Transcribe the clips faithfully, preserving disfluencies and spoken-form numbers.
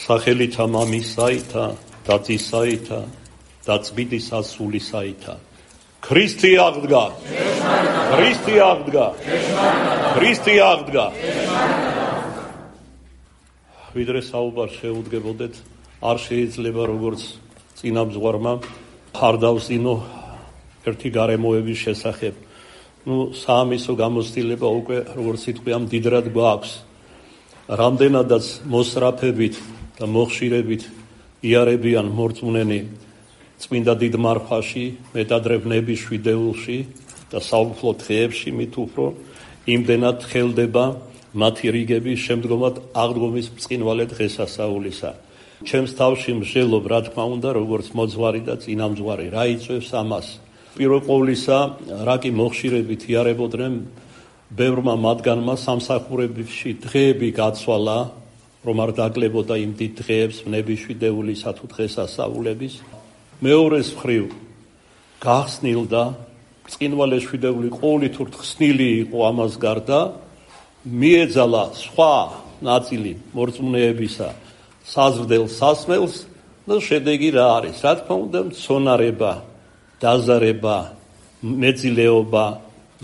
სახელითა მამისაითა და ძისაითა და წმინდისა სულისაითა. ქრისტე აღდგა. ქრისტე აღდგა. ქრისტე აღდგა. ვიდრე საუბარ შეუდგებოდეთ, არ შეიძლება როგორც წინამძღვარმა არ დავსინო ერთი გარემოების შესახებ. ნუ საამისო გამოცდილება უკვე როგორც სიტყვია მდიდრად გვაქვს. რამდენადაც მოსწრაფებით და მოხშირებით იარებიან მორწმუნენი წმინდა დიდ მარხვაში, მეტადრევნების შვიდეულში და საუფლო დღეებში მით უფრო იმდენად ხელდება მათი რიგების შემდგომად აღდგომის ბრწყინვალე დღესასწაულისა. ჩემს თავში მსჯელობ, რა თქმა უნდა, როგორც მოძღვარი და წინამძღვარი, რა იწვევს ამას. პირველ ყოვლისა, რა კი მოხშირებით იარებოდნენ ბევრმა მათგანმა სამსახურებში დღეები გაცვალა, რომ არ დაკლებოდა იმ დიდ დღეებს, ნების შვიდეულისა თუ დღესასწაულების. მეორეს მხრივ გახსნილდა ბრწყინვალე შვიდეული ყოვლითურთ ხსნილი იყო ამას გარდა, მიეძალა სხვა ნაწილი მორწმუნეებისა საზრდელ სასმელს და შედეგი რა არის? რა თქმა უნდა, მცონარება, დაზარება, მეძილეობა,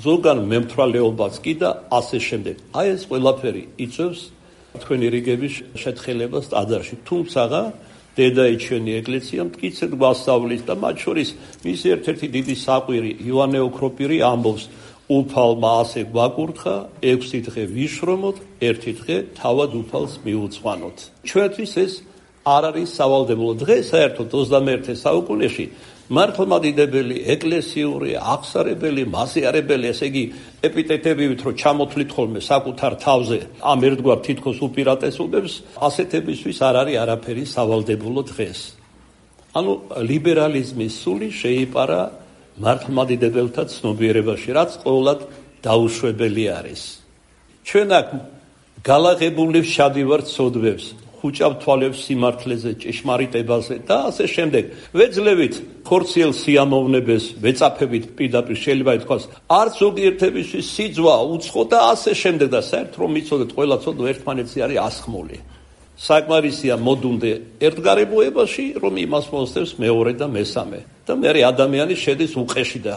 ზოგან მემთვალეობაც კი და ასე შემდეგ. აი ეს ყველაფერი იწვევს თქვენი რიგების შეთხელებას ტაძარში. თუმცა დედაიჩვენი ეკლესია მტკიცედ გვასწავლის და მათ შორის მისი ერთ-ერთი დიდი საყვირი იოანე ოქროპირი ამბობს, უფალმა ასე გვაკურთხა, ექვსი დღე ვიშრომოთ, ერთი დღე თავად უფალს მიუძღვანოთ. ჩვენთვის ეს არ არის სავალდებულო დღე, საერთოდ ოცდამეერთე საუკუნეში მართლმადიდებელი, ეკლესიური, აღსარებელი, მასიარებელი, ესე იგი ეპიტეტებით რო ჩამოთვლით ხოლმე საკუთარ თავზე ამ ერთგვარ თითქოს უპირატესობებს, ასეთებისთვის არ არის არაფერი სავალდებულო დღეს. ანუ ლიბერალიზმის სული შეიპარა მართლმადიდებელთა ცნობიერებაში, რაც ყოველად დაუშვებელი არის. ჩვენ აქ გალაღებული ვშადივართ სოდვებს, ხუჭავ თვალებს სიმართლეზე, ჭეშმარიტებაზე და ასე შემდეგ. ვეძლევით ხორციელ სიამოვნებებს, ვეწაფებით პირდაპირ შეიძლება ითქვას, არც ზოგიერთებისთვის სიძვა, უცხო და ასე შემდეგ და საერთოდ რომ იცოდეთ, ყველა ცოდვა ერთმანეთზე არის ასხმული. საკმარისია მოდუნდე ერთგარებოებაში, რომ იმას მოსდევს მეორე და მესამე. და მე ადამიანი შედის უყეში და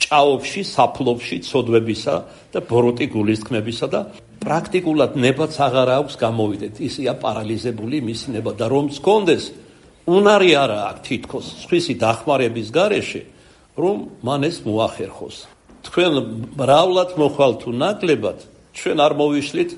ჭაობში, საფლობში, ცოდვებისა და ბოროტი გულისხმებისა და პრაქტიკულად ნებაც აღარ აქვს გამოვიდეთ. ისია პარალიზებული მისი ნება და რომ მქონდეს, უნარი არა აქვს თითქოს სხვისი დახმარების გარეშე, რომ მან ეს მოახერხოს. თქვენ მრავლად მოხვალთ თუ ნაკლებად, ჩვენ არ მოვიშლით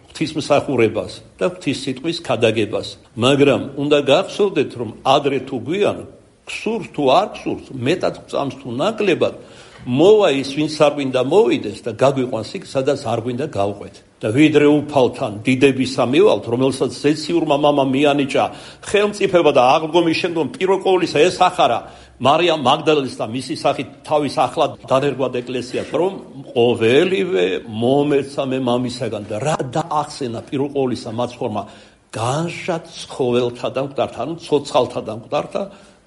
ღვთისმსახურებას და ღვთისსიტყვის ქადაგებას, მაგრამ უნდა გახსოვდეთ, რომ ადრე თუ გვიან, გსურს თუ არ გსურს, მეტად გწამს თუ ნაკლებად, მოვა ის, ვინც არ გვინდა მოვიდეს და გაგვიყვანს იქ, სადაც არ გვინდა გავყვეთ. და ვიდრე უფალთან დიდებისა მივალთ, რომელსაც ზეციურმა მამამ მიანიჭა ხელმწიფება და აღდგომის შემდგომ პირველ ყოვლისა ესახარა მარიამ მაგდალენის და მისი სახით თავის ახლად დანერგვად ეკლესიას, რომ ყოველივე მომეცა მე მამისაგან და რა დაახსენა პირველ ყოვლისა მაცხოვრმა განშა ცხოველთა და მკვდართა, ანუ ცოცხალთა და მკვდართა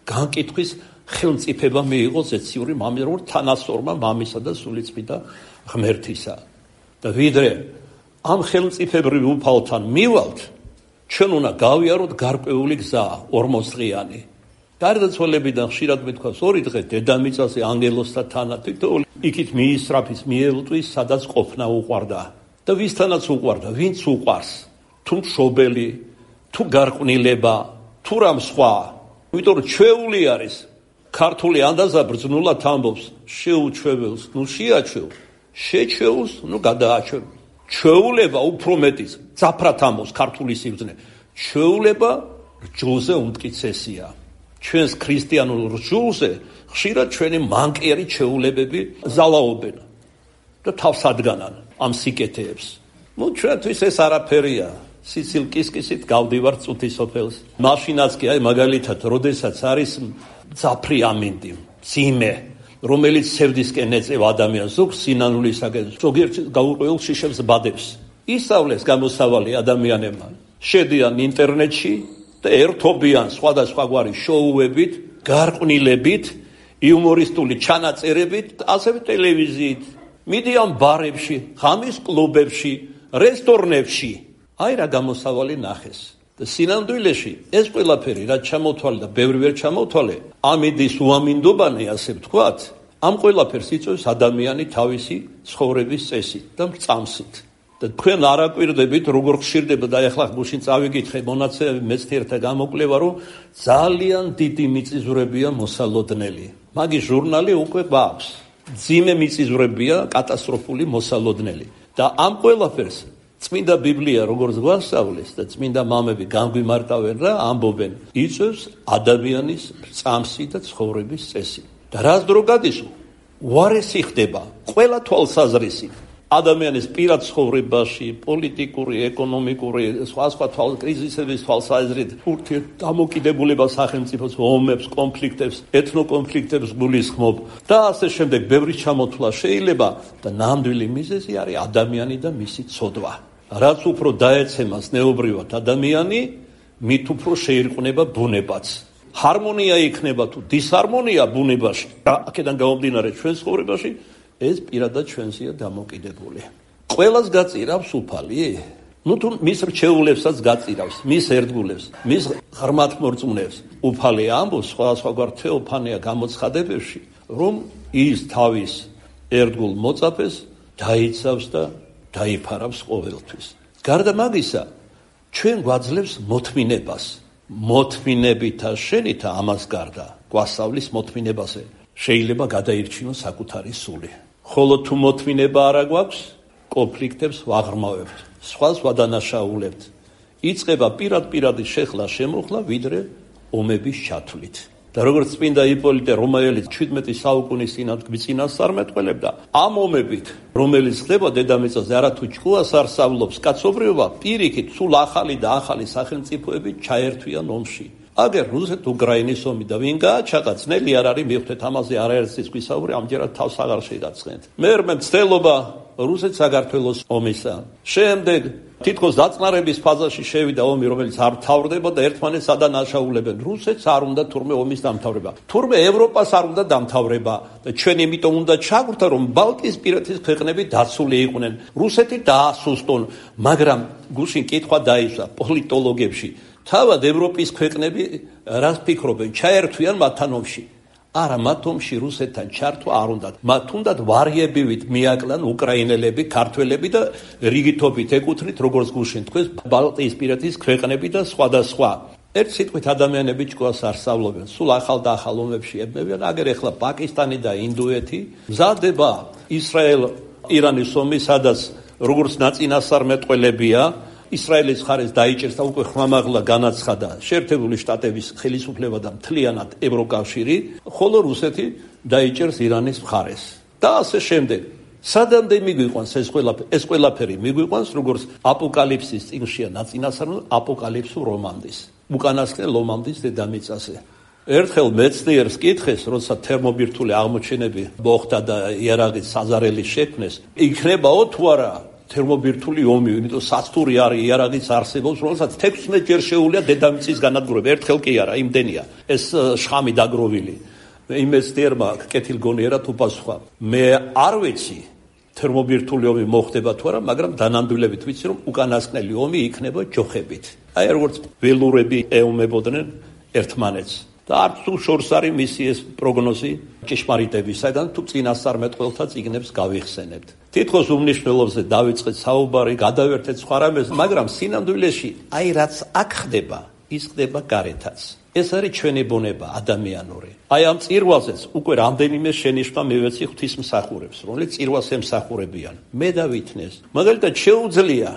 განკითხვის ხელმწიფება მიიღო ზეციური მამირო თანასწორმა მამისა და სულიწმიდა ღმერთისა. და ვიდრე ამ ხელმწიფებრივ უფალთან მივალთ, ჩვენ უნდა გავიაროთ გარკვეული გზა, ორმოწლიანი. გარდაცვალებიდან ხშირად მithქვას ორი დღე დედამიწაზე ანგელოსთა თანა თითოეული იქით მიისწრაფის, მიელტვის, სადაც ყოფნა უყვარდა. და ვისთანაც უყვარდა, ვინც უყვარს, თუ მშობელი, თუ გარყვნილება, თუ რამ სხვა. იმიტომ რომ ჩვეული არის ქართული ანდაზა ბრძნულად ამბობს, შეუჩვეველს, ნუ შეაჩვევ, შეჩვეულს, ნუ გადააჩვევ. ჩვეულება უფრო მეტის, ძაფრად ამბობს ქართული სიბრძნე. ჩვეულება რჯულზე უმტკიცესია. ჩვენს ქრისტიანულ რჯულზე ხშირად ჩვენი მანკიერი ჩვეულებები ზალაობენ და თავს ადგანან ამ სიკეთეებს. ნუ ჩვენთვის ეს არაფერია. სიცილ კისკისით გავდივართ წუთის სოფელს. მაშინაც კი აი მაგალითად, როდესაც არის ძაფრი ამინდი, ძიმე, რომელიც სევდისკენ ეწევა ადამიანს, ზოგ სინანულისაგან, ზოგიერთ გაურკვეველ შიშებს ბადებს. ისწავლეს გამოსავალი ადამიანებმა. შედიან ინტერნეტში და ერთობიან სხვადასხვაგვარი შოუებით, გარყვნილებით, იუმორისტული ჩანაწერებით, ასევე ტელევიზიით. მიდიან ბარებში, ღამის კლუბებში, რესტორნებში. აი რა გამოსავალი ნახეს. და სინამდვილეში ეს ყველაფერი რაც ჩამოთვალე და ბევრი ვერ ჩამოთვალე, ამიდის უამინდობანი, ასე ვთქვათ, ამ ყველაფერს იწვევს ადამიანი თავისი ცხოვრების წესით და მრწამსით. და თქვენ არ აკვირდებით, როგორ ხშირდება და ეხლა გუშინ წავიკითხე მონაცემები მეცნიერთა გამოკვლევა, რომ ძალიან დიდი მიწისძვრებია მოსალოდნელი. მაგის ჟურნალი უკვე გვაქვს. ძიმე მიწისძვრებია კატასტროფული მოსალოდნელი. და ამ ყველაფერს წმინდა ბიბლია როგორც გვასწავლეს და წმინდა მამები განგვიმარტავენ რა ამბობენ, იწვევს ადამიანის მრწამსი და ცხოვრების წესი. და რას დრო გადის? უარესი ხდება ყველა თვალსაზრისით. ადამიანის პირად ცხოვრებაში, პოლიტიკური, ეკონომიკური, სხვა სხვა კრიზისების თვალსაზრისით, ურთიერთდამოკიდებულება სახელმწიფოს, ომებს, კონფლიქტებს, ეთნოკონფლიქტებს გულისხმობ და ასე შემდეგ ბევრი ჩამოთვლა შეიძლება და ნამდვილი მიზეზი არის ადამიანი და მისი ცოდვა. რაც უფრო დაეცემა ზნეობრივად ადამიანი, მით უფრო შეირყნება ბუნებაც. ჰარმონია იქნება თუ დისჰარმონია ბუნებაში, აქედან გამომდინარე ჩვენ ცხოვრებაში, ეს პირადად ჩვენზეა დამოკიდებული. ყველას გაწირავს უფალი? ნუ თუ მის რჩეულებსაც გაწირავს, მის ერთგულებს, მის ღრმად მორწმუნეებს. უფალი ამბობს სხვადასხვაგვარ თეოფანია გამოცხადებებში, რომ ის თავის ერთგულ მოწაფეს დაიცავს და დაიფარავს ყოველთვის. გარდა მაგისა, ჩვენ გვაძლევს მოთმინებას. მოთმინებითა შენითა ამას გარდა, გვასწავლის მოთმინებაზე. შეიძლება გადაირჩინოს საკუთარი სული. ხოლო თუ მოთმინება არა გვაქვს, კონფლიქტებს ვაღრმავებთ, სხვას ვადანაშაულებთ. იწყება პირად-პირადი შეხლა შემოხლა, ვიდრე ომების ჩათვლით. და როგორც წმინდა იპოლიტე რომაელი ჩვიდმეტი საუკუნის წინათ გვიწინასწარმეტყველებდა, ამ ომებით, რომელიც ხდება დედამიწაზე, არათუ ჭკუას არ სწავლობს კაცობრიობა, პირიქით სულ ახალი და ახალი სახელმწიფოები ჩაერთვიან ომში. აგერ რუსეთ-უკრაინის ომი და ვინ გააჩაღა, ძნელი არ არის მივხვდეთ ამაზე არაერთის გვისაუბრე, ამჯერად თავს აღარ შეგაცხენთ. მერმე მცდელობა რუსეთ-საქართველოს ომისა. შემდეგ თითქოს დაწყნარების ფაზაში შევიდა ომი, რომელიც არ მთავრდება და ერთმანეთს ადანაშაულებენ. რუსეთს არ უნდა თურმე ომის დამთავრება. თურმე ევროპას არ უნდა დამთავრება და ჩვენ იმიტომ უნდა ჩაგვრთა, რომ ბალტიისპირეთის ქვეყნები დაცული იყვნენ. რუსეთი დაასუსტონ, მაგრამ გუშინ კითხვა დაისვა პოლიტოლოგებში. თავად ევროპის ქვეყნები რას ფიქრობენ? ჩაერთვიან მათთან ომში. არა, მათ ომში რუსეთთან ჩართვა არ უნდათ. მათ უნდათ ვარიებივით მიაკლან უკრაინელები, ქართველები და რიგითობით ეკუთვნით, როგორც გუშინ თქვეს, ბალტიისპირეთის ქვეყნები და სხვა და სხვა. ერთ სიტყვით ადამიანები ჭკუას არ სწავლობენ. სულ ახალ და ახალ ომებში ებმევიან. აგერ ეხლა პაკისტანი და ინდოეთი მზადდება ისრაელ-ირანის ომი, სადაც როგორც ნაწინასწარმეტყველებია, ისრაელის მხარეს დაიჭერს და უკვე ხმამაღლა განაცხადა შეერთებული შტატების ხელისუფლება და მთლიანად ევროკავშირი, ხოლო რუსეთი დაიჭერს ირანის მხარეს. და ასე შემდეგ. სადამდე მიგვიყვანს ეს ყველაფერი, ეს ყველაფერი მიგვიყვანს, როგორც აპოკალიფსის წიგნშია ნაწინასწარმეტყველება აპოკალიფსურ რომანდის. უკანასკნელ ომამდის დედამიწაზე. ერთხელ მეცნიერს კითხეს, როცა თერმობირთული აღმოჩენები მოხდა და იარაღის საზარელი შექმნეს, იქნებაო თუ არა თერმობირთული ომი, იმიტომ სასტური არის იარაღის არსებობს, რომელსაც თექვსმეტ ჯერ შეუძლია დედამიწის განადგურება. ერთხელ კი არა, იმდენია ეს შხამი დაგროვილი. იმ მეცნიერმა კეთილგონიერად უპასუხა, მე არ ვიცი თერმობირთული ომი მოხდება თუ არა, მაგრამ დანამდვილებით ვიცი, რომ უკანასკნელი ომი იქნება ჯოხებით. აი როგორც ველურები ეომებოდნენ ერთმანეთს. და არც თუ შორს არის მისი ეს პროგნოზი ჭეშმარიტებისაგან, თუ წინასწარმეტყველთა წიგნებს გავიხსენებთ. თითქოს უმნიშვნელოვანზე დავიწყეთ საუბარი, გადავერთეთ სხვა რამეს, მაგრამ სინამდვილეში აი რაც აქ ხდება, ის ხდება გარეთაც. ეს არის ჩვენი ბუნება ადამიანური. აი ამ წირვაზეც უკვე რამდენიმე შენიშვნა მივეცი ღვთისმსახურებს, რომელიც წირვას ემსახურებიან. მე დავითნეს. მაგალითად შეუძლია,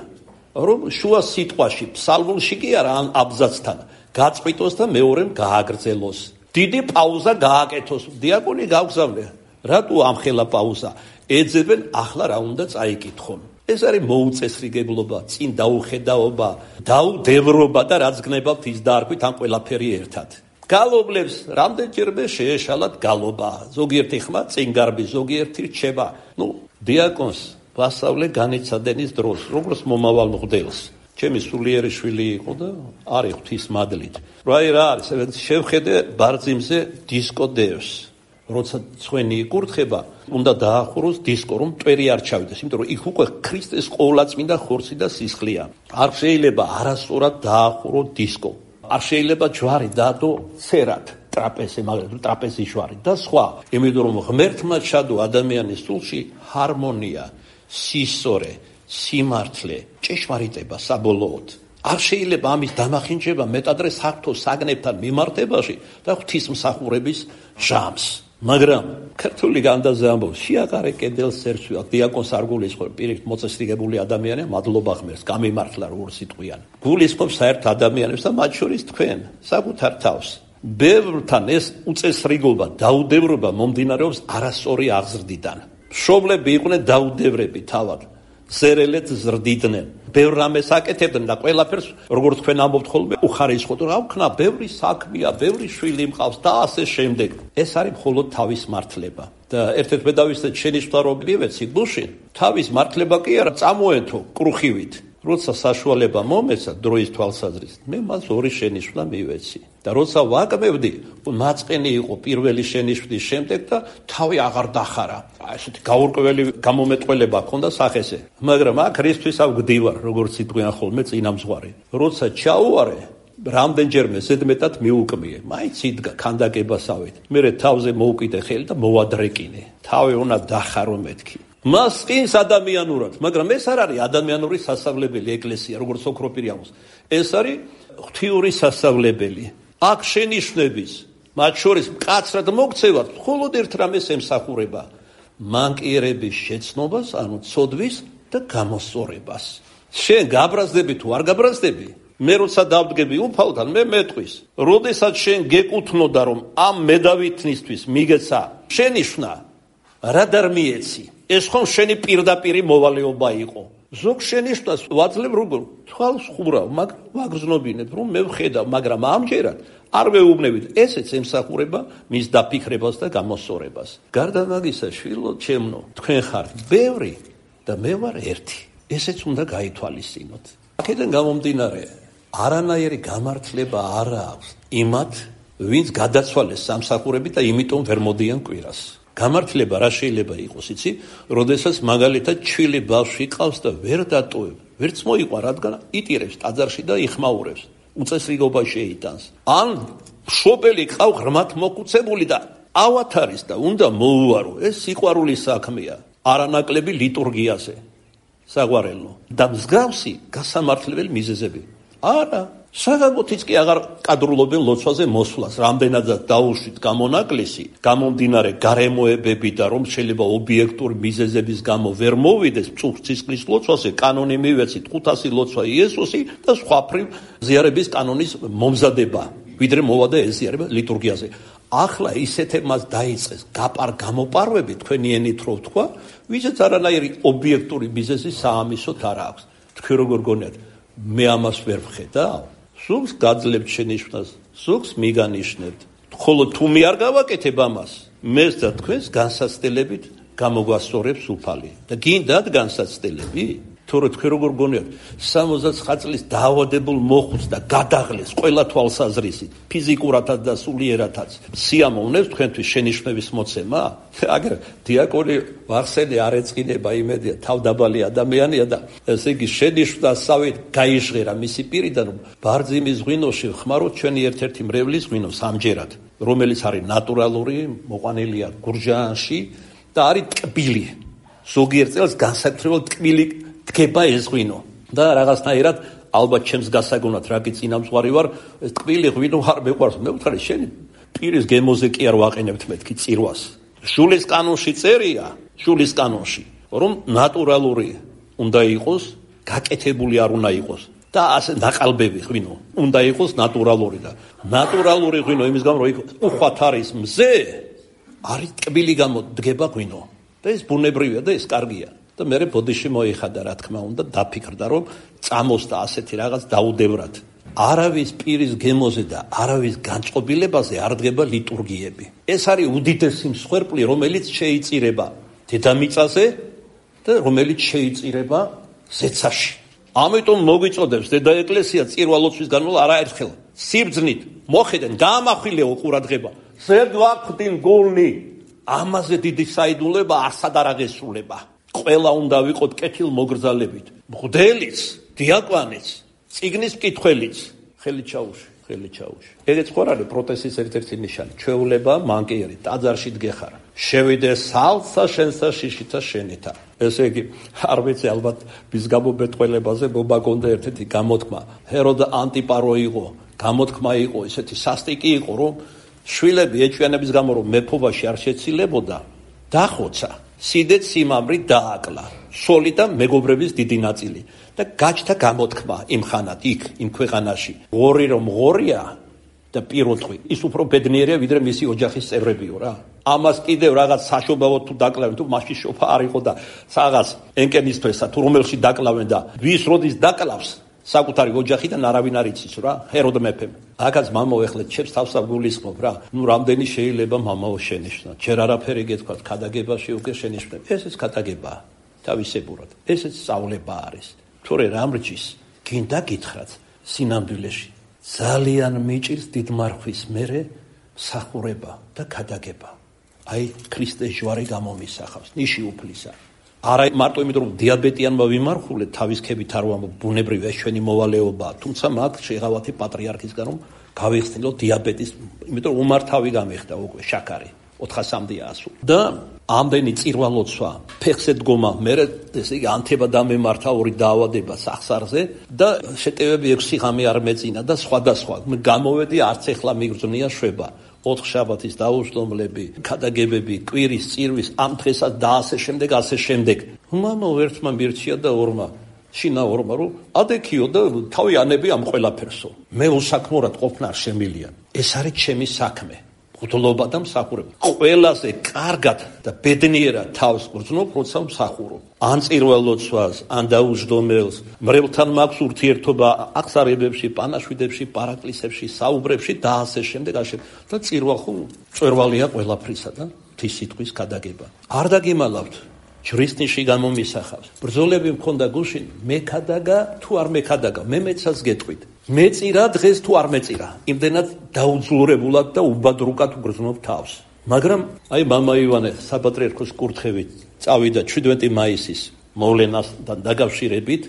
რომ შუა სიტყვაში, ფსალმუნში კი არა ამ აბზაცთან გაწყვიტოს და მეორემ გააგრძელოს. დიდი პაუზა გააკეთოს. დიაკონი გავგზავნე. რატო ამხელა პაუზა? ეძებენ ახლა რა უნდა წაიკითხონ. ეს არის მოუწესრიგებლობა, წინ დაუხედაობა, დაუდევრობა და რაც გნებავთ ის დაარქვით ამ ყველაფერი ერთად. გალობლებს რამდენჯერმე შეეშალათ გალობა. ზოგიერთი ხმა წინ გარბი, ზოგიერთი რჩება. ნუ დიაკონს ვასწავლე განიცადენის დროს, როგორც მომავალ მღვდელს. ჩემი სულიერი შვილი იყო და არის ღვთის მადლით. რა რა არის, შევხედე ბარძიმზე დისკო დევს. როცა ცხვენი იკურთხება, უნდა დაახუროს დისკო, რომ მტვერი არ ჩავიდეს, იმიტომ რომ იქ უკვე ქრისტეს ყოვლადწმინდა ხორცი და სისხლია. არ შეიძლება არასწორად დაახურო დისკო. არ შეიძლება ჯვარი დაადო ცერად, ტრაპეზზე, მაგრამ ტრაპეზის ჯვარი და სხვა. იმიტომ რომ ღმერთმა ჩადო ადამიანის სულში ჰარმონია, სისწორე, სიმართლე, ჭეშმარიტება საბოლოოდ. არ შეიძლება ამის დამახინჯება მეტადრე საღვთო საგნებთან მიმართებაში და ღვთისმსახურების ჟამს. მაგრამ ქართული განდაზე ამბობს, შეაყარე კედელს ერცვი, დიაკონ სარგულის ხო პირიქით მოწესრიგებული ადამიანია, მადლობა ღმერთს, გამიმართლა როგორ სიტყვიან. გულისხმობს საერთ ადამიანებს და მათ შორის თქვენ, საკუთარ თავს. ბევრთან ეს უწესრიგობა, დაუდევრობა მომდინარეობს არასწორი აღზრდიდან. მშობლები იყვნენ დაუდევრები თავად. ზერელეთ ზრდიდნენ. ბევრ რამეს აკეთებდნენ და ყველაფერს, როგორც თქვენ ამბობთ ხოლმე, უხარისხოთ, რა ვქნა, ბევრი საქმეა, ბევრი შვილი მყავს და ასე შემდეგ. ეს არის მხოლოდ თავის მართლება. და ერთ-ერთ მე დავისწრეთ შენიშვნა რომ მივეცი გულში, თავის მართლება კი არა, წამოეთო კრუხივით. როცა საშუალება მომეცა დროის თვალსაზრისით, მე მას ორი შენიშვნა მივეცი. და როცა ვაკმევდი, მაწყენი იყო პირველი შენიშვნის შემდეგ და თავი აღარ დახარა. ესეთი გაურკვეველი გამომეტყველება ჰქონდა სახეზე. მაგრამ აქ რისთვის ავგდივარ, როგორც იტყვიან ხოლმე წინამძღვარი. როცა ჩაუვარე, რამდენჯერმე ზედმეტად მიუკმიე. მაინც იდგა ქანდაკებასავით. მერე თავზე მოუკიდე ხელი და მოვადრეკინე. თავი უნდა დახარო მეთქი. მას წინს ადამიანურად, მაგრამ ეს არ არის ადამიანური სასწავლებელი ეკლესია, როგორც ოქროპირი ამბობს. ეს არის ღვთიური სასწავლებელი. აქ შენიშვნების, მათ შორის მკაცრად მოქცევად, მხოლოდ ერთ რამეს ემსახურება: მანკიერების შეცნობას, ანუ ცოდვის და გამოსწორებას. შენ გაბრაზდები თუ არ გაბრაზდები? მე როცა დავდგები უფალთან, მე მეტყვის. როდესაც შენ გეკუთვნოდა, რომ ამ მედავითნისთვის მიგეცა შენიშვნა, რა დარმიეცი? ეს ხომ შენი პირდაპირი მოვალეობა იყო. ზოგ შენიშვნას ვაძლევ როგორ თვალს ხურავ, მაგრამ ვაგრძნობინებ, რომ მე ვხედავ, მაგრამ ამჯერად არ ვეუბნებით. ესეც ემსახურება მის დაფიქრებას და გამოსწორებას. გარდა მაგისა, შვილო ჩემნო, თქვენ ხართ ბევრი და მე ვარ ერთი. ესეც უნდა გაითვალისწინოთ. აქედან გამომდინარე, არანაირი გამართლება არ აქვს იმათ, ვინც გადაცვალეს სამსახურებით და იმიტომ ვერ მოდიან კვირას. გამართლება რა შეიძლება იყოს, იცი? როდესაც მაგალითად ჩვილი ბავშვი ყავს და ვერ დატოვებ, ვერც მოიყვა, რადგან იტირებს ტაძარში და იხმაურებს. უწესრიგობა შეიტანს. ან მშობელი ყავ ღრმად მოკუცებული და ავათ არის და უნდა მოუარო. ეს სიყვარულის საქმეა, არანაკლები ლიტურგიაზე. საგვარელო და მსგავსი გასამართლებელი მიზეზები. არა, საგამოთიც კი აღარ კადრულობენ ლოცვაზე მოსვლას, რამდენადაც დაუშვით გამონაკლისი, გამომდინარე გარემოებები და რომ შეიძლება ობიექტური მიზეზების გამო ვერ მოვიდეს წუხცისყრის ლოცვაზე, კანონი მივეცით ხუთასი ლოცვა იესოსი და სხვაფრივ ზიარების კანონის მომზადება, ვიდრე მოვადა ეს ზიარება ლიტურგიაზე. ახლა ისეთებმაც დაიწყეს გაპარ გამოპარვები, თქვენი ენით რო ვთქვა, ვისაც არანაირი ობიექტური მიზეზი საამისოთ არ აქვს. თქვენ როგორ გონიათ, მე ამას ვერ ვხედავ? ზოგს გაძლევთ შენიშვნას, ზოგს მიგანიშნებთ. ხოლო თუ მე არ გავაკეთებ ამას, მეს და თქვენს განსაცდელებით გამოგვასწორებს უფალი. და გინდათ განსაცდელები? თორე თქვენ როგორ გონიათ, სამოცდათხმეტ წლის დაავადებულ მოხუც და გადაღლეს ყველა თვალსაზრისით, ფიზიკურადაც და სულიერადაც. სიამოვნებს თქვენთვის შენიშვნების მოცემა? აგერ დიაკონი ვახსენე არ ეწყინება, იმედია თავდაბალი ადამიანია და ესე იგი შენიშვნასავით გაიჟღერა მისი პირიდან, რომ ბარძიმის ღვინოში ხმაროთ ჩვენი ერთ-ერთი მრევლის ღვინო სამჯერად, რომელიც არის ნატურალური, მოყვანილია გურჯაანში და არის ტკბილი. ზოგიერთ წელს განსაკუთრებულად ტკბილი დგება ეს ღვინო და რაღაცნაირად ალბათ ჩემს გასაგონად რა კი წინამძღვარი ვარ, ეს ტკბილი ღვინო არ მეყვარს. მე ვთქარი შენ პირის გემოზე კი არ ვაყენებთ მეთქი წირვას. შულის კანონში წერია, შულის კანონში, რომ ნატურალური უნდა იყოს, გაკეთებული არ უნდა იყოს და ასე ნაყალბები ღვინო უნდა იყოს ნატურალური და ნატურალური ღვინო იმის გამო რომ უხვად არის მზე, არის ტკბილი გამო დგება ღვინო და ეს ბუნებრივია და ეს კარგია. და მე ბოდიში მოიხადა, რა თქმა უნდა, დაფიქრდა, რომ წამოსდა ასეთი რაღაც დაუდევრად. არავის პირის გემოზე და არავის განწყობილებაზე არ დგება ლიტურგიები. ეს არის უდიდესი მსხვერპლი, რომელიც შეიწირება დედამიწაზე და რომელიც შეიწირება ზეცაში. ამიტომ მოგვიწოდებს დედა ეკლესია წირვალოცვის განმავლობაში არაერთხელ სიბრძნით მოხედენ, გაამახვილეო ყურადღება. ზედ ვახვდინ გულნი, ამაზე დიდი საიდულება არსად არ აღესრულება. ყველა უნდა ვიყოთ კეთილმოგრძალებით. მღვდელიც, დიაკვანიც, წიგნის მკითხველიც, ხელი ჩაუში, ხელი ჩაუში. ეგეც ხო არ არის პროტესტის ერთ-ერთი ნიშანი. ჩვეულება მანკიერი, ტაძარში დგეხარ. შევიდე სალსა შენსა შიშითა შენითა. ესე იგი, არ ვიცი ალბათ მის გამომეტყველებაზე მომაგონდა ერთ-ერთი გამოთქმა. ჰეროდ ანტიპარო იყო, გამოთქმა იყო, ესეთი სასტიკი იყო, რომ შვილები ეჭვიანების გამო რომ მეფობაში არ შეცილებოდა, დახოცა. სიდეთ სიმამრი დააკლა, სოლი და მეგობრების დიდი ნაწილი და გაჩნდა გამოთქმა იმ ხანად იქ, იმ ქვეყანაში. ღორი რომ ღორია და პირუტყვი, ის უფრო ბედნიერია ვიდრე მისი ოჯახის წევრებიო რა. ამას კიდევ რაღაც საშობავად თუ დაკლავენ, თუ მაშინ შობა არ იყო და რაღაც ენკენისთვესა თუ რომელში დაკლავენ და ვის როდის დაკლავს საკუთარი ოჯახიდან არავინ არ იცის რა, ჰეროდ მეფემ. აქაც მამაო ეხლა ჩემს თავს აგულისხმობ რა. ნუ რამდენი შეიძლება მამაო შენიშნა. ჯერ არაფერი გეთქვათ, ქადაგებაში უკვე შენიშნებ. ესეც ქადაგებაა, თავისებურად. ესეც სწავლება არის. თორე რამ რჯის, გინდა გითხრათ, სინამდვილეში ძალიან მიჭირს დიდმარხვის მერე მსახურება და ქადაგება. აი ქრისტეს ჯვარი გამომისახავს, ნიში უფლისა. არა მარტო იმიტომ რომ დიაბეტიანმა ვიმარხულეთ თავის ქებით არ ვამბობ, ბუნებრივ ეს ჩვენი მოვალეობაა, თუმცა მაგ შეღავათი პატრიარქისგან რომ გავიხსნილო დიაბეტის, იმიტომ რომ უმართავი გამიხდა უკვე შაქარი ოთხასამდეა ასული. და ამდენი წირვალოცვა, ფეხზე დგომა, მერე ესე იგი ანთება დამემართა ორი დაავადება სახსარზე და შეტევები ექვსი ღამე არ მეწინა და სხვადასხვა. გამოვედი არც ეხლა მიგრძნია შვება. ოთხ შაბათის დაუსტომლები, ქადაგებები, კვირის, წირვის, ამ დღესაც და ასე შემდეგ, ასე შემდეგ. მამაო ერთმა მირჩია და ორმა, შინა ორმა, რომ ადექიო და თავი ანები ამ ყველაფერსო. მე უსაქმურად ყოფნა არ შემილია. ეს არის ჩემი საქმე. მღვდლობა და მსახურება. ყველაზე კარგად და ბედნიერად თავს გრძნობ, როცა მსახურობ. ან წირველოცვას, ან დაუჯდომელს, მრევლთან მაქვს ურთიერთობა აღსარებებში, პანაშვიდებში, პარაკლისებში, საუბრებში და ასე შემდეგ, ასე. და წირვალ ხო წვერვალია ყველაფრისა და ღვთის სიტყვის ქადაგება. არ დაგიმალავთ, ჯვრის ნიში გამომისახავს. ბრძოლები მქონდა გუშინ, მექადაგა თუ არ მექადაგა, მე მეცას გეტყვით. მეწირა დღეს თუ არ მეწირა, იმდენად დაუძლურებულად და უბადრუკად უგრძნობ თავს. მაგრამ აი მამა ივანე საპატრიარქოს კურთხევით წავიდა ჩვიდმეტი მაისის მოვლენასთან დაკავშირებით,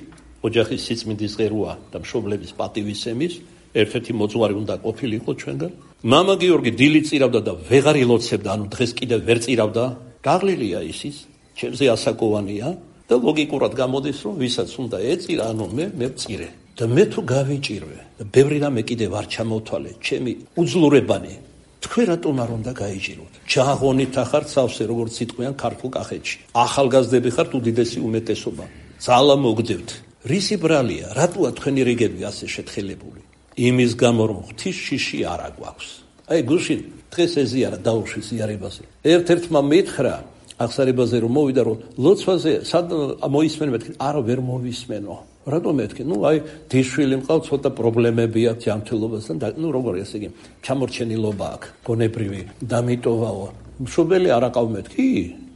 ოჯახის სიწმინდის ღეროა და მშობლების პატივისცემის ერთ-ერთი მოძღვარი უნდა ყოფილიყო ჩვენგან. მამა გიორგი დილით წირავდა და ვეღარ ილოცებდა, ანუ დღეს კიდევ ვერ წირავდა. გაღლილია ისის, ჩემზე ასაკოვანია და ლოგიკურად გამოდის, რომ ვისაც უნდა ეწირა, ანუ მე მე ვწირე. და მე თუ გავიჭირვე და ბევრი რამე კიდევ არ ჩამოვთვალე, ჩემი უძლურებანი, თქვენ რატომ არ უნდა გაიჭიროთ? ჯაღონით ახართ სავსე, როგორც სიტყვიან ქართულ კახეთში. ახალგაზრდები ხართ უდიდესი უმეტესობა. ძალა მოგდევთ. რისი ბრალია, რატოა თქვენი რიგები ასე შეთხელებული? იმის გამო რომ ღვთის შიში არ აგვაქვს. აი გუშინ დღეს ეზიარა დაუშვი ზიარებაზე. ერთ-ერთმა მითხრა აღსარებაზე რომ მოვიდა რომ ლოცვაზე სად მოისმენო, მეთქი არა ვერ მოვისმენო. რატომ მეთქი? ნუ აი დიშვილი მყავს, ცოტა პრობლემები აქვს ჯანმრთელობასთან და ნუ როგორ ესე იგი ჩამორჩენილობა აქვს, გონებრივი დამიტოვაო. მშობელი არ აყავ მეთქი?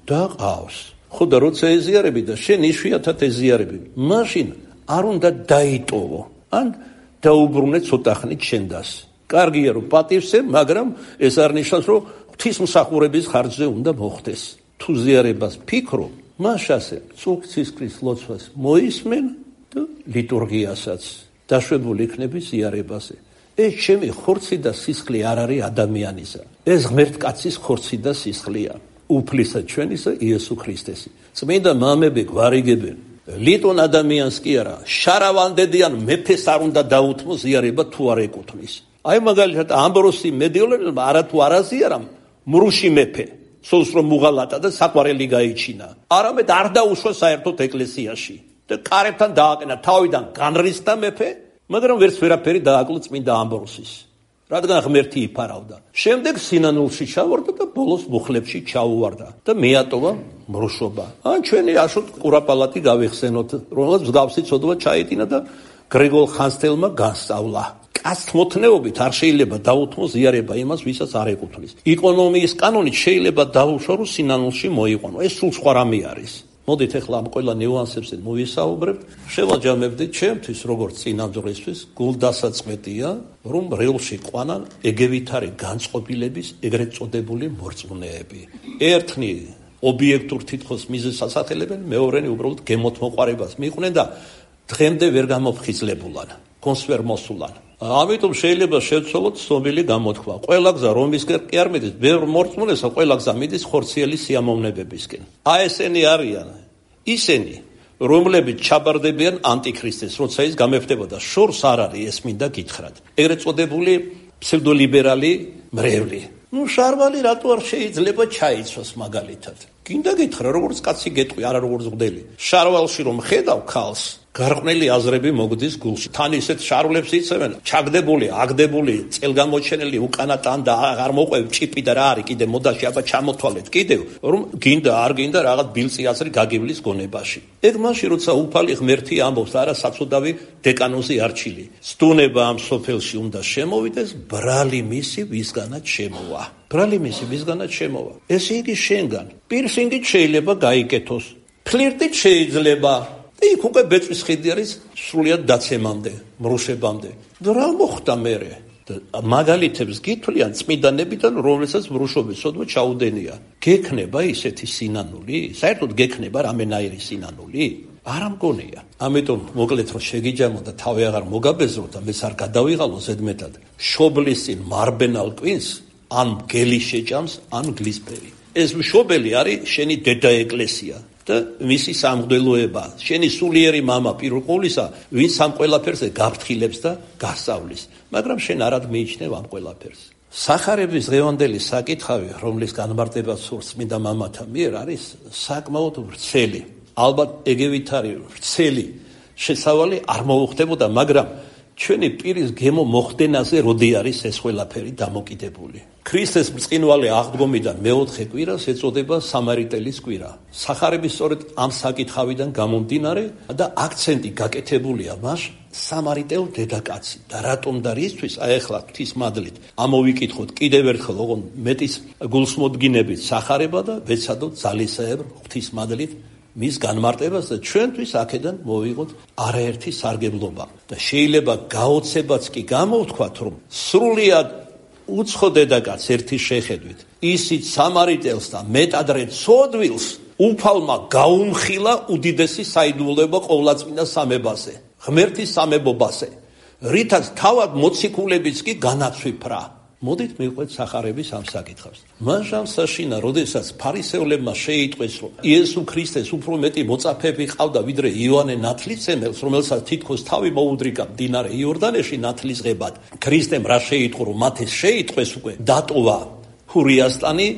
დაყავს. ხო და როცა ეზიარები და შენ იშვიათად ეზიარები, მაშინ არ უნდა დაიტოვო. ან დაუბრუნე ცოტა ხნით შენდას. კარგია რომ პატივსე, მაგრამ ეს არ ნიშნავს რომ ღვთისმსახურების ხარჯზე უნდა მოხდეს. თუ ზიარებას ფიქრო, მაშასე წუხცისკრის ლოცვას მოისმენ და ლიტურგიასაც დაშვებული იქნები ზიარებაზე. ეს ჩემი ხორცი და სისხლი არ არის ადამიანისა. ეს ღმერთკაცის ხორცი და სისხლია. უფლისა ჩვენისა იესო ქრისტესი. წმინდა მამები გვარიგებენ. ლიტონ ადამიანს კი არა, შარავანდედიან მეფეს არ უნდა დაუთმო ზიარება თუ არ ეკუთვნის. აი მაგალითად ამბროსი მედიოლერმა არა თუ არ აზიარა მრუში მეფე. სულს რომ მუღალატა და საყვარელი გაიჩინა. არამედ არ დაუშვა საერთოდ ეკლესიაში და კარებთან დააყენა, თავიდან განრისხდა მეფე, მაგრამ ვერც ვერაფერი დააკლო წმინდა ამბროსის. რადგან ღმერთი იფარავდა. შემდეგ სინანულში ჩავარდა და ბოლოს მუხლებში ჩაუვარდა და მეატოვა მრუშობა. ან ჩვენი აშოთ ყურაპალატი გავიხსენოთ, რომელსაც მსგავსი ცოდვა ჩაეტინა და გრიგოლ ხანძთელმა განსწავლა. კაცთმოთნეობით არ შეიძლება დაუთმო ზიარება იმას, ვისაც არ ეკუთვნის. იკონომიის კანონით შეიძლება დაუშვა, რომ სინანულში მოიყვანო. ეს სულ სხვა რამე არის. მოდით ახლა ამ ყველა ნიუანსებზე მოვისაუბრებთ. შევაჯამებდით ჩემთვის როგორც წინამძღვრისთვის გულდასაწყვეტია, რომ რეალში ყვანან ეგევითარი განწყობილების ეგრეთ წოდებული მორწმუნეები. ერთნი ობიექტურ თითქოს მიზეზს ასახელებენ, მეორენი უბრალოდ გემოთმოყვარებას მიყვნენ და დღემდე ვერ გამოფხიზლებულან, კონს ვერ მოსულან. ამიტომ შეიძლება შევცვალოთ ცნობილი გამოთქვა. ყველა გზა რომისკენ კი არ მიდის, ბევრ მორწმუნესა ყველა გზა მიდის ხორციელი სიამოვნებებისკენ. აი ესენი არიან ისინი, რომლებიც ჩაბარდებიან ანტიქრისტეს, როცა ის გამეფდებოდა. შორს არ არის ეს მინდა გითხრათ. ეგრეთ წოდებული ფსევდოლიბერალი მრევლი. ნუ შარვალი რატო არ შეიძლება ჩაიცვას მაგალითად? გინდა გითხრა, როგორც კაცი გეტყვი, არა როგორც მღვდელი. შარვალში რომ ხედავ ქალს, გარყვნილი აზრები მოგდის გულში. თან ისეთ შარვლებს იცემენ, ჩაგდებული, აგდებული, წელგამოჩენილი, უკანა ტანდა, აღარ მოყვევ ჭიპი და რა არის კიდე მოდაში, აბა ჩამოთვალეთ კიდევ, რომ გინდა არ გინდა რაღაც ბილწი აზრი გაგივლის გონებაში. ეგ მაშინ როცა უფალი ღმერთი ამბობს, არა საწოდავი დეკანოზი არჩილი. სტუნება ამ სოფელში უნდა შემოვიდეს, brალი მისი ვისგანაც შემოვა. brალი მისი ვისგანაც შემოვა. ესე იგი შენგან პირსინგით შეიძლება გაიკეთოს. ფლირტით შეიძლება იქ უკვე ბეწვის ხიდი არის სრულიად დაცემამდე, მრუშებამდე. და რა მოხდა მერე? მაგალითებს გითვლიან წმინდანებიდან, რომლებსაც მრუშობის სოდვა ჩაუდენია. გექნება ისეთი სინანული? საერთოდ გექნება რამენაირი სინანული? არ მგონია. ამიტომ მოკლედ რომ შეგიჯამო და თავი აღარ მოგაბეზრო და მეც არ გადავიღალო ზედმეტად. შობლის წინ მარბენალ კვინს ან მგელი შეჭამს, ან გლისფერი. ეს მშობელი არის შენი დედა ეკლესია. და მისი სამღვდელოება, შენი სულიერი მამა პირველ ყოვლისა, ვინც ამ ყველაფერზე გაფრთხილებს და გასწავლის, მაგრამ შენ არად მიიჩნევ ამ ყველაფერს. სახარების დღევანდელი საკითხავი, რომლის განმარტება სურს წმინდა მამათა მიერ, არის საკმაოდ ვრცელი. ალბათ ეგევითარი ვრცელი შესავალი არ მოუხდებოდა, მაგრამ ჩვენი პირის გემო მოხდენაზე როდი არის ეს ყველაფერი დამოკიდებული. ქრისტეს ბრწყინვალე აღდგომიდან მეოთხე კვირას ეწოდება სამარიტელის კვირა. სახარების სწორედ ამ საკითხავიდან გამომდინარე და აქცენტი გაკეთებულია მას სამარიტელ დედაკაცი. და რატომ და რისთვის? აი ახლა ღვთისმადლით ამოვიკითხოთ კიდევ ერთხელ ოღონ მეტის გულსმოდგინებით სახარება და ვეცადოთ ძალისეებრ ღვთისმადლით მის განმარტებას და ჩვენთვის აქედან მოვიღოთ არაერთი სარგებლობა. და შეიძლება გაოცებაც კი გამოვთქვათ, რომ სრულიად უცხო დედაკაც ერთი შეხედვით ისიც სამარიტელს და მეტადრე ცოდვილს უფალმა გაუმხილა უდიდესი საიდუმლოება ყოვლადწმინდა სამებაზე, ღმერთის სამებობაზე, რითაც თავად მოციქულებიც კი განაცვიფრა. მოდით მივყვეთ სახარების ამ საკითხავს. მან შამსაშინა, როდესაც ფარისეულებმა შეიტყვეს, რომ იესო ქრისტეს უფრო მეტი მოწაფეები ყავდა, ვიდრე იოანე ნათლისმცემელს, რომელსაც თითქოს თავი მოუდრიკა მდინარე იორდანეში ნათლისღებად, ქრისტემ რა შეიტყო, რომ მათ ეს შეიტყვეს უკვე, დატოვა ჰურიასტანი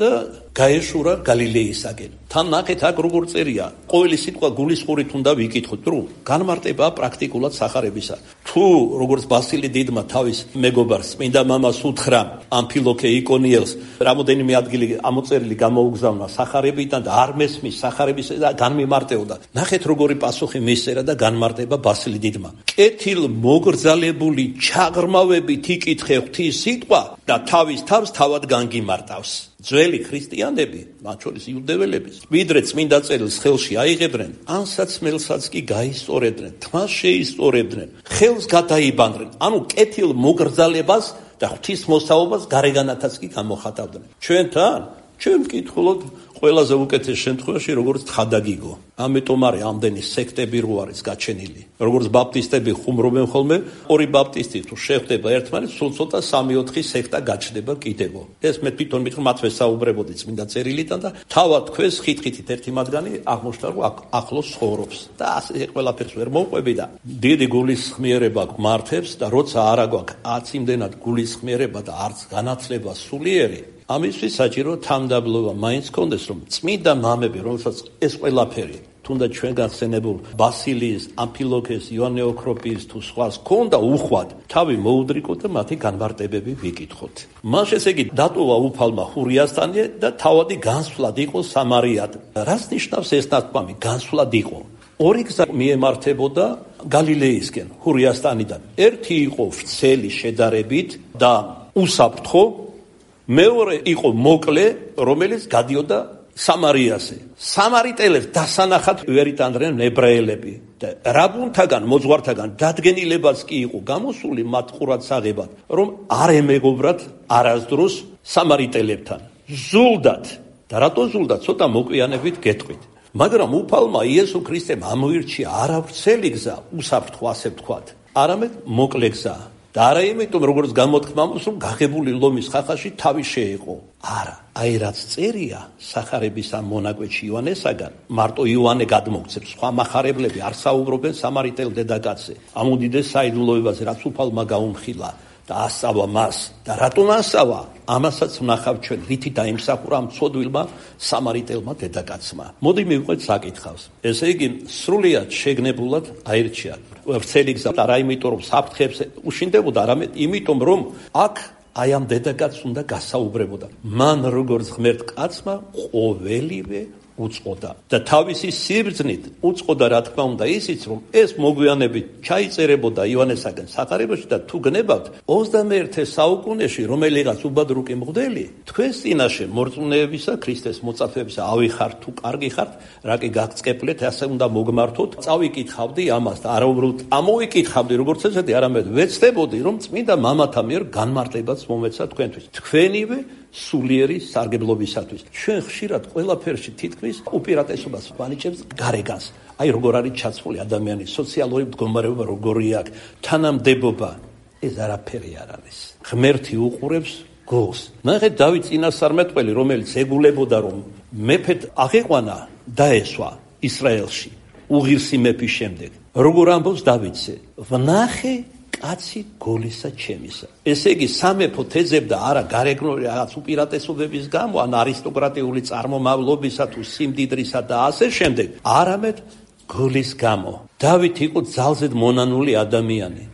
და გაეშურა გალილეისაკენ. თან ნახეთ აქ როგორ წერია, ყოველი სიტყვა გულისხმობით უნდა ვიკითხოთ, რომ განმარტება პრაქტიკულად სახარებისა. თუ როგორც ბასილი დიდმა თავის მეგობარს წმინდა მამას უთხრა ამფილოქე იკონიელს, რამოდენიმე ადგილი ამოწერილი გამოუგზავნა სახარებიდან და არ მესმის სახარებისა და განმიმარტეოდა. ნახეთ როგორი პასუხი მისწერა და განმარტება ბასილი დიდმა. კეთილ მოგრძალებული ჩაღრმავებით იკითხე ღვთის სიტყვა და თავის თავს თავად განგიმარტავს. ძველი ქრისტიანები, მათ შორის იუდეველები, ვიდრე წმინდა წერილს ხელში აიღებდნენ, ან საცმელსაც კი გაისწორებდნენ, თმას შეისწორებდნენ, ხელს გადაიბანდნენ, ანუ კეთილ მოგრძალებას და ღვთისმოსაობას გარეგანათაც კი გამოხატავდნენ. ჩვენთან, ჩვენ ვკითხულობთ ყველაზე უკეთეს შემთხვევაში, როგორც თხადაგიგო. ამიტომ არის ამდენი სექტები რო არის გაჩენილი. როგორც ბაპტისტები ხუმრობენ ხოლმე, ორი ბაპტისტი თუ შეხვდება ერთმანეთს, სულ ცოტა სამი-ოთხი სექტა გაჩნდება კიდევ. ეს მე თვითონ მithom მათ ვესაუბრებოდი წმინდა წერილიდან და თავად ქვეს ხით-ხითით ერთი მათგანი აღმოჩნდა, რომ ახლოს ცხოვრობს. და ასე ყველაფერს ვერ მოვყვები და დიდი გულისხმიერება გმართებს და როცა არა გვაქვს არც იმდენად გულისხმიერება და არც განათლება სულიერი, ამისთვის საჭირო თანმდაბლობა მაინც კონდეს, რომ წმინდა მამები, რომელსაც ეს ყველაფერი თუნდაც ჩვენ გახსენებულ ბასილიის, ამფილოქეს, იოანე ოქროპიის თუ სხვას ქონდა უხვად, თავი მოუდრიკოთ და მათი განმარტებები ვიკითხოთ. მას ესე იგი დატოვა უფალმა ჰურიასტანი და თავადი განსვლად იყო სამარიად. რას ნიშნავს ეს ნათქვამი? განსვლად იყო. ორი გზა მიემართებოდა გალილეისკენ, ჰურიასტანიდან. ერთი იყო ვრცელი შედარებით და უსაფრთხო, მეორე იყო მოკლე, რომელიც გადიოდა სამარიაზე. სამარიტელებს დასანახად ვერ იტანდნენ ებრაელები და რაბუნთაგან, მოძღვართაგან დადგენილებაც კი იყო გამოსული მათ ყურადსაღებად, რომ არ ემეგობრათ არასდროს სამარიტელებთან. ზულდათ და რატო ზულდათ? ცოტა მოგვიანებით გეტყვით. მაგრამ უფალმა იესო ქრისტემ ამოირჩია არა ვრცელი გზა, უსაფრთხო ასე ვთქვათ, არამედ მოკლე გზა. და არა იმიტომ, როგორც გამოთქმამს, რომ გაღებული ლომის ხახაში თავი შეეყო. არა, აი რაც წერია სახარების ამ მონაკვეთში იოანესაგან, მარტო იოანე გადმოგცემს, სხვა მახარებლები არ საუბრობენ სამარიტელ დედაკაცზე. ამ უდიდეს საიდუმლოებაზე, რაც უფალმა გაუმხილა და ასავა მას. და რატომ ასავა? ამასაც ვნახავ ჩვენ, რითი დაიმსახურა ამ ცოდვილმა სამარიტელმა დედაკაცმა. მოდი მივყვეთ საკითხავს. ესე იგი, სრულიად შეგნებულად აირჩია ვრცელი გზა, არა იმიტომ, რომ საფრთხეებს უშინდებოდა, არამედ იმიტომ, რომ აქ აი ამ დედაკაცს უნდა გასაუბრებოდა. მან როგორც ღმერთ კაცმა ყოველივე უწყოდა და თავისი სიბრძნით უწყოდა, რა თქმა უნდა, ისიც, რომ ეს მოგვიანებით ჩაიწერებოდა იოანესაგან სახარებაში და თუ გნებავთ ოცდამეერთე საუკუნეში რომელიღაც უბადრუკი მღვდელი თქვენს წინაშე მორწმუნეებისა, ქრისტეს მოწაფეებისა ავიხართ თუ კარგი ხართ, რა კი გაგწყეპლეთ, ასე უნდა მოგმართოთ. წავიკითხავდი ამას და არა უბრალოდ ამოვიკითხავდი როგორც ესეთი, არამედ ვეცდებოდი, რომ წმინდა მამათა მიერ განმარტებაც მომეცა თქვენთვის, თქვენივე სულიერი სარგებლობისათვის. ჩვენ ხშირად ყველაფერში თითქმის უპირატესობას ვანიჭებთ გარეგანს. აი როგორ არის ჩაცმული ადამიანის სოციალური მდგომარეობა, როგორი აქვს თანამდებობა. ეს არაფერი არ არის. ღმერთი უყურებს გულს. ნახეთ დავით წინასწარმეტყველი, რომელიც ეგულებოდა, რომ მეფედ აღეყვანა დაესვა ისრაელში უღირსი მეფის შემდეგ. როგორ ამბობს დავითზე? ვნახე კაცი გოლისა ჩემისა. ესე იგი სამეფო თეძებდა არა გარეგნული რაღაც უპირატესობების გამო, ან არისტოკრატიული წარმომავლობისა თუ სიმდიდრისა და ასე შემდეგ, არამედ გოლის გამო. დავით იყო ძალზედ მონანული ადამიანი,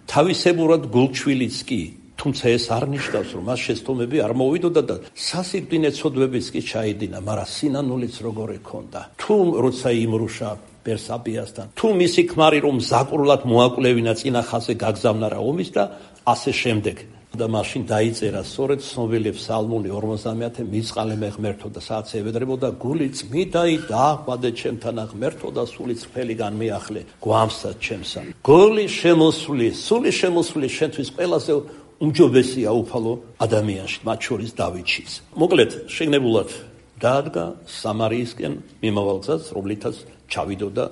თავისებურად გულჩვილიც კი, თუმცა ეს არ ნიშნავს, რომ მას შეცდომები არ მოვიდოდა და სასიკვდინე ცოდვებიც კი ჩაიდინა, მაგრამ სინანულიც როგორ ექონდა. თუ როცა იმრუშა ბერსაბიასთან, თუ მისი ქმარი რომ ზაკრულად მოაკვლევინა წინა ხაზზე გაგზავნა რა ომის და ასე შემდეგ. და მაშინ დაიწერა სწორედ ცნობილი ფსალმული ორმოცდამეათე მიწყალე მე ღმერთო და სადაც ევედრებოდა გული წმიდაი დაახვადე ჩემთან ღმერთო და სული წრფელი განმეახლე გვამსად ჩემსა. გული შემოსული, სული შემოსული შენთვის ყველაზე უმჯობესია უფალო ადამიანში, მათ შორის დავითშიც. მოკლედ, შეგნებულად დაადგა სამარიისკენ მიმავალ გზას, რომლითაც ჩავიდოდა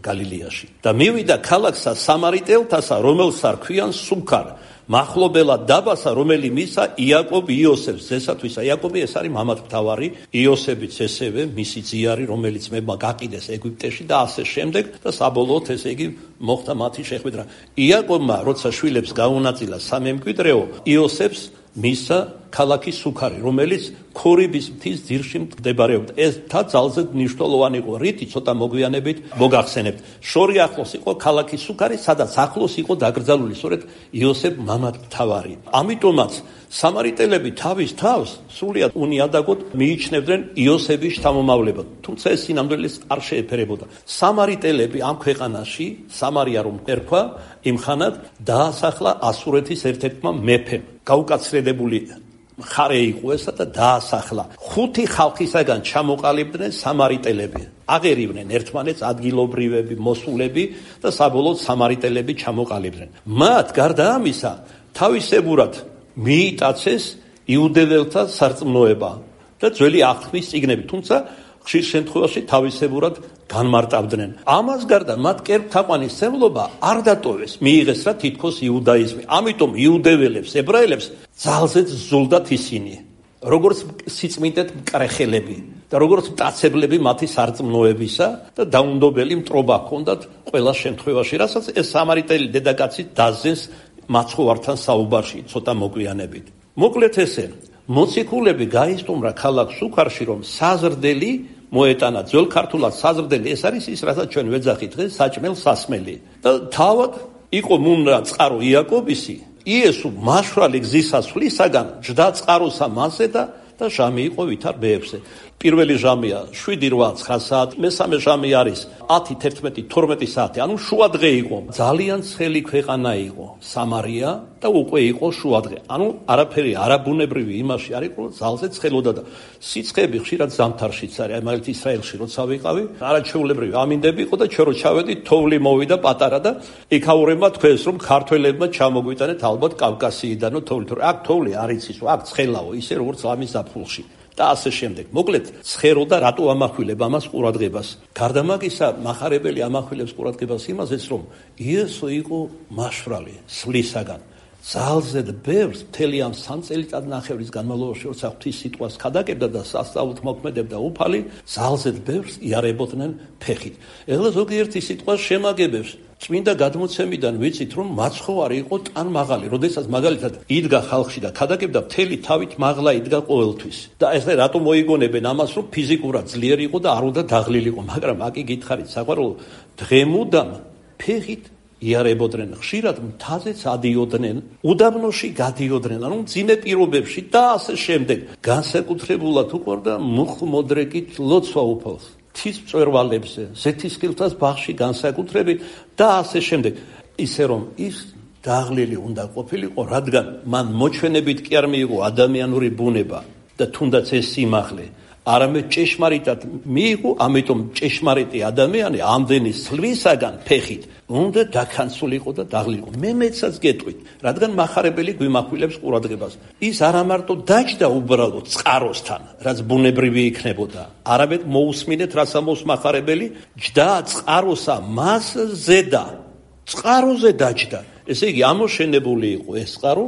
გალილეაში. და მივიდა ქალაქსა სამარიტელთასა, რომელსა რქვიან სუქარ, მახლობელად დაბასა, რომელი მისა იაკობ იოსებს ზესათვისა. იაკობი ეს არის მამათმთავარი, იოსებიც ესევე მისი ძიარი, რომელიც მემა გაყიდეს ეგვიპტეში და ასე შემდეგ და საბოლოოდ ესე იგი მოხდა მათი შეხვედრა. იაკობმა როცა შვილებს გაუნაწილა სამემკვიდრეო, იოსებს მისა ქალაქი სუქარი, რომელიც ქორიბის მთის ძირში მდებარეობდა. ეს თა ძალზედ მნიშვნელოვანი იყო, რითი ცოტა მოგვიანებით მოგახსენებთ. შორი ახლოს იყო ქალაქი სუქარი, სადაც ახლოს იყო დაკრძალული სწორედ იოსებ მამათმთავარი. ამიტომაც სამარიტელები თავის თავს სრულიად უნიადაგოდ მიიჩნევდნენ იოსების შთამომავლებად, თუმცა ეს სინამდვილეს არ შეეფერებოდა. სამარიტელები ამ ქვეყანაში, სამარია რომ ერქვა, იმხანად დაასახლა ასურეთის ერთ-ერთმა მეფემ. გაუკაცრედებული ხარე იყო ესა და დაასახლა. ხუთი ხალხისაგან ჩამოყალიბდნენ სამარიტელები. აღერივნენ ერთმანეთს ადგილობრივები, მოსულები და საბოლოოდ სამარიტელები ჩამოყალიბდნენ. მათ გარდა ამისა, თავისებურად მიიტაცეს იუდეველთა სარწმუნოება და ძველი აღთქმის წიგნები, თუმცა ხშირ შემთხვევაში თავისებურად განმარტავდნენ. ამას გარდა მათ კერპთაყვანისმცემლობა არ დატოვეს, მიიღეს რა თითქოს იუდაიზმი. ამიტომ იუდეველებს, ებრაელებს ძალზედ ზულდათ ისინი, როგორც სიწმინდეთ მკრეხელები და როგორც მტაცებლები მათი სარწმუნოებისა და დაუნდობელი მტრობა ჰქონდათ ყველა შემთხვევაში, რასაც ეს სამარიტელი დედაკაცი დაზეს მაცხოვართან საუბარში ცოტა მოგვიანებით. მოკლედ ესე, მოციქულები გაისტუმრა ქალაქ სუქარში, რომ საზრდელი მოეტანა. ძველ ქართულად საზრდელი ეს არის ის, რასაც ჩვენ ვეძახით დღეს საჭმელ სასმელი. და თავად იყო მუნდა წყარო იაკობისი, იესო მაშვალი გზისასვლისაგან ჯდა წყაროსა მასე და და ჟამი იყო ვითარ ბეებზე. პირველი ჟამია შვიდი რვა ცხრა საათი, მესამე ჟამი არის ათი თერთმეტი თორმეტი საათი, ანუ შუადღე იყო. ძალიან ცხელი ქვეყანა იყო სამარია და უკვე იყო შუადღე. ანუ არაფერი არაბუნებრივი იმაში არ იყო, ძალზე ცხელოდა და სიცხეები ხშირად ზამთარშიც არის. აი მაგალითად ისრაელში როცა ვიყავი, არაჩვეულებრივი ამინდები იყო და ჩვენ რო ჩავედით, თოვლი მოვიდა პატარა და იქაურებმა თქვენს რომ ქართველებმა ჩამოგვიტანეთ ალბათ კავკასიიდანო თოვლი, თორე აქ თოვლი არ იცის, აქ ცხელაო, ისე როგორც ამის ზაფხულში. და ასე შემდეგ. მოკლედ, ცხერო და რატო ამახვილებ ამას ყურადღებას? გარდა მაგისა, მახარებელი ამახვილებს ყურადღებას იმაზეც, რომ იესო იყო მაშვრალი, სვლისაგან. ძალზე და ბევრს მთელი ამ სამ წელიწადნახევრის განმავლობაში, როცა ღვთის სიტყვას ქადაგებდა და სასწაულით მოქმედებდა უფალი, ძალზე და ბევრს იარებოდნენ ფეხით. ეხლა ზოგიერთი სიტყვა შემაგებებს. წმინდა გადმოცემიდან ვიცით, რომ მაცხოვარი იყო ტან მაღალი, როდესაც მაგალითად იდგა ხალხში და ქადაგებდა მთელი თავით მაღლა იდგა ყოველთვის. და ეს რატომ მოიგონებენ ამას, რომ ფიზიკურად ძლიერი იყო და არ უნდა დაღლილიყო, მაგრამ აკი გითხარით, საყვარელო, დღემუდამ ფეხით იარებოდნენ, ხშირად მთაზეც ადიოდნენ, უდაბნოში გადიოდნენ, ანუ მძიმე პირობებში და ასე შემდეგ. განსაკუთრებულად უყვარდა მუხლმოდრეკით ლოცვა უფალს. თის მწვერვალებზე, ზეთისქილთას ბაღში განსაკუთრებით და ასე შემდეგ. ისე რომ ის დაღლილი უნდა ყოფილიყო, რადგან მან მოჩვენებით კი არ მიიღო ადამიანური ბუნება და თუნდაც ეს სიმაღლე, არამედ ჭეშმარიტად მიიღო, ამიტომ ჭეშმარიტი ადამიანი ამდენი სლვისაგან ფეხით უნდა დაქანცულიყო და დაღლილიყო. მე მეცაც გეტყვით, რადგან მახარებელი გვიმახვილებს ყურადღებას. ის არა მარტო დაჯდა უბრალოდ წყაროსთან, რაც ბუნებრივი იქნებოდა, არამედ მოусმინეთ, რაც ამოს მახარებელი, ჯდა წყაროსა მას ზედა. წყაროზე დაჯდა. ესე იგი, ამოშენებული იყო ეს წყარო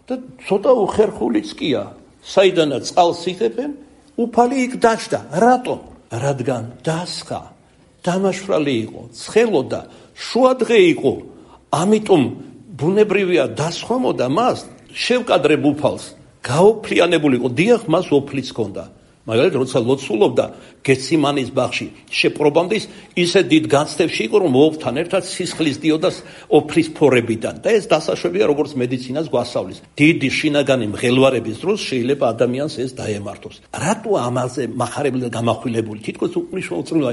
და ცოტა უხერხულიც კია. საიდანაც წყალს იღებენ, უფალი იქ დაჯდა. რატომ? რადგან დასხა, დამაშვრალი იყო, ცხელოდა, შუადღე იყო, ამიტომ ბუნებრივია დასხვამოდა მას, შევკადრებ უფალს, გაოფლიანებული იყო, დიახ, მას ოფლიც ჰქონდა. მაგალითად, როცა ლოცულობდა გეციმანის ბაღში, შეპრობამდე ისე დიდ განცდებში იყო, რომ ოფთან ერთად სისხლის დიოდა ოფლის ფორებიდან და ეს დასაშვებია, როგორც მედიცინას გვასწავლის. დიდი შინაგანი მღელვარების დროს შეიძლება ადამიანს ეს დაემართოს. რატო ამაზე მახარებელი და გამახვილებული? თითქოს უყმიშმოუწმუნოა,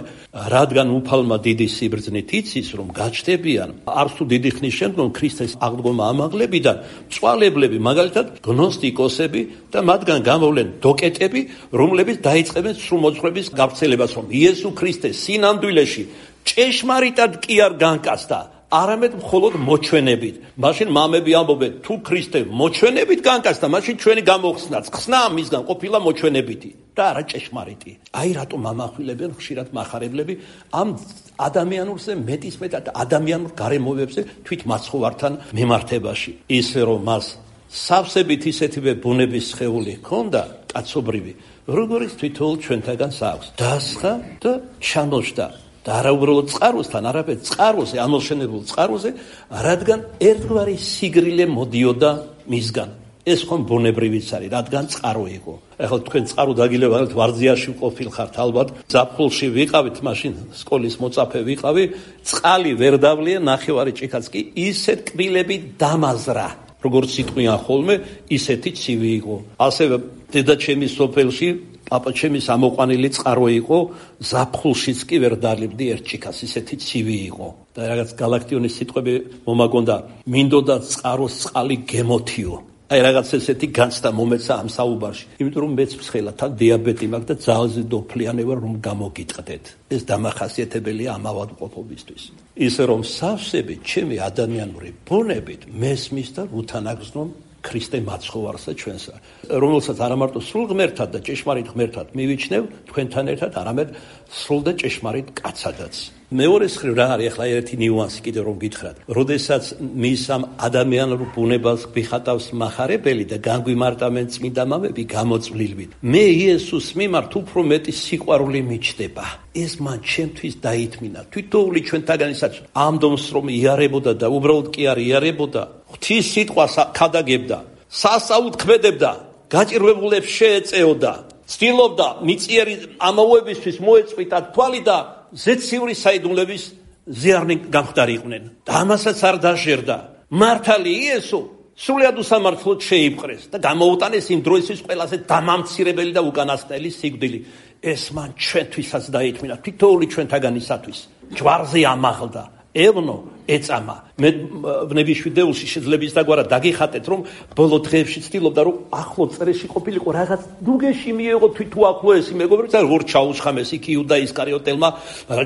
რადგან უფალმა დიდი სიბრძნით იცის, რომ გაჩნდებიან არც თუ დიდი ხნის შემდგომ ქრისტეს აღდგომა ამაღლებიდან მწვალებლები, მაგალითად გნოსტიკოსები და მათგან გამოვლენ დოკეტები, რომლებიც დაიწყებენ სრულმოძღვრების გავრცელებას, რომ იესო ქრისტე სინამდვილეში ჭეშმარიტად კი არ განკაცდა, არამედ მხოლოდ მოჩვენებით. მაშინ მამები ამბობენ, თუ ქრისტე მოჩვენებით განკაცდა, მაშინ ჩვენი გამოხსნაც ხსნა მისგან ყოფილა მოჩვენებითი და არა ჭეშმარიტი. აი რატომ ამახვილებენ ხშირად მახარებლები ამ ადამიანურზე მეტისმეტად ადამიანურ გარემოებებზე თვით მაცხოვართან მიმართებაში. ისე რომ მას სავსებით ისეთივე ბუნების სხეული ჰქონდა, კაცობრივი, როგორც თვითონ ჩვენთაგანს აქვს. დასხა და ჩამოშდა და არა უბრალოდ წყაროსთან, არამედ წყაროზე, ამოშენებულ წყაროზე, რადგან ერთგვარი სიგრილე მოდიოდა მისგან. ეს ხომ ბუნებრივიც არის, რადგან წყარო იყო. ახლა თქვენ წყარო დაგილებთ, ვარძიაში ყოფილხართ ალბათ, ზაფხულში ვიყავით, მაშინ სკოლის მოწაფე ვიყავი, წყალი ვერ დავლია, ნახევარი ჭიქაც კი ისეთ კბილები დამაზრა. როგორც სიტყვიან ხოლმე, ისეთი ცივი იყო. ასევე დედაჩემის სოფელში პაპაჩემის ამოყვანილი წყარო იყო, ზაფხულშიც კი ვერ დალებდი ერთ ჭიქას, ისეთი ცივი იყო. და რაღაც გალაქტიონის სიტყვები მომაგონდა, მინდოდა წყაროს წყალი გემოთიო. აი რაღაც ესეთი განცდა მომეცა ამ საუბარში. იმიტომ რომ მეც მსხელა, თან დიაბეტი მაქვს და ძალზე დოფლიანი ვარ, რომ გამოგიტყდეთ. ეს დამახასიათებელია ამ ავადმყოფობისთვის. ისე რომ სავსებით ჩემი ადამიანური ბუნებით მესმის და უთანაგზნონ ქრისტე მაცხოვარსა ჩვენსა, რომელსაც არა მარტო სრულ ღმერთად და ჭეშმარიტ ღმერთად მივიჩნევ თქვენთან ერთად, არამედ სრულ და ჭეშმარიტ კაცადაც. მეორე მხრივ რა არის ახლა ერთი ნიუანსი კიდევ რომ გითხრათ, როდესაც მის ამ ადამიანურ ბუნებას გვიხატავს მახარებელი და განგვიმარტავენ წმინდა მამები გამოწვლილვით, მე იესოს მიმართ უფრო მეტი სიყვარული მიჩნდება. ეს მან ჩემთვის დაითმინა. თვითოული ჩვენთაგანისაც ამ დომს რომ იარებოდა და უბრალოდ კი არ იარებოდა, ღვთის სიტყვას ქადაგებდა, სასწაულთ ქმედებდა, გაჭირვებულებს შეეწეოდა, ცდილობდა მიწიერი ამაოებისთვის მოეწყვიტა თვალი და ზეციური საიდუმლების ზიარნი გამხდარიყვნენ. და ამასაც არ დაჟერდა. მართალი იესო სრულიად უსამართლოდ შეიპყრეს და გამოუტანეს იმ დროისთვის ყველაზე დამამცირებელი და უკანასკნელი სიკვდილი. ეს მან ჩვენთვისაც დაითმინა, თითოეული ჩვენთაგანისათვის. ჯვარზე ამაღლდა, ევნო ეწამა. მე ვნებიშვიდეულში შეიძლება ის დაგვარა დაგიხატეთ, რომ ბოლო დღეებში ცდილობდა, რომ ახლო წერეში ყოფილიყო რაღაც დუგეში მიეღო თვითო ახლო ესი მეგობრებიც, როგორ ჩაუშხამეს იქ იუდა ისკარიოტელმა,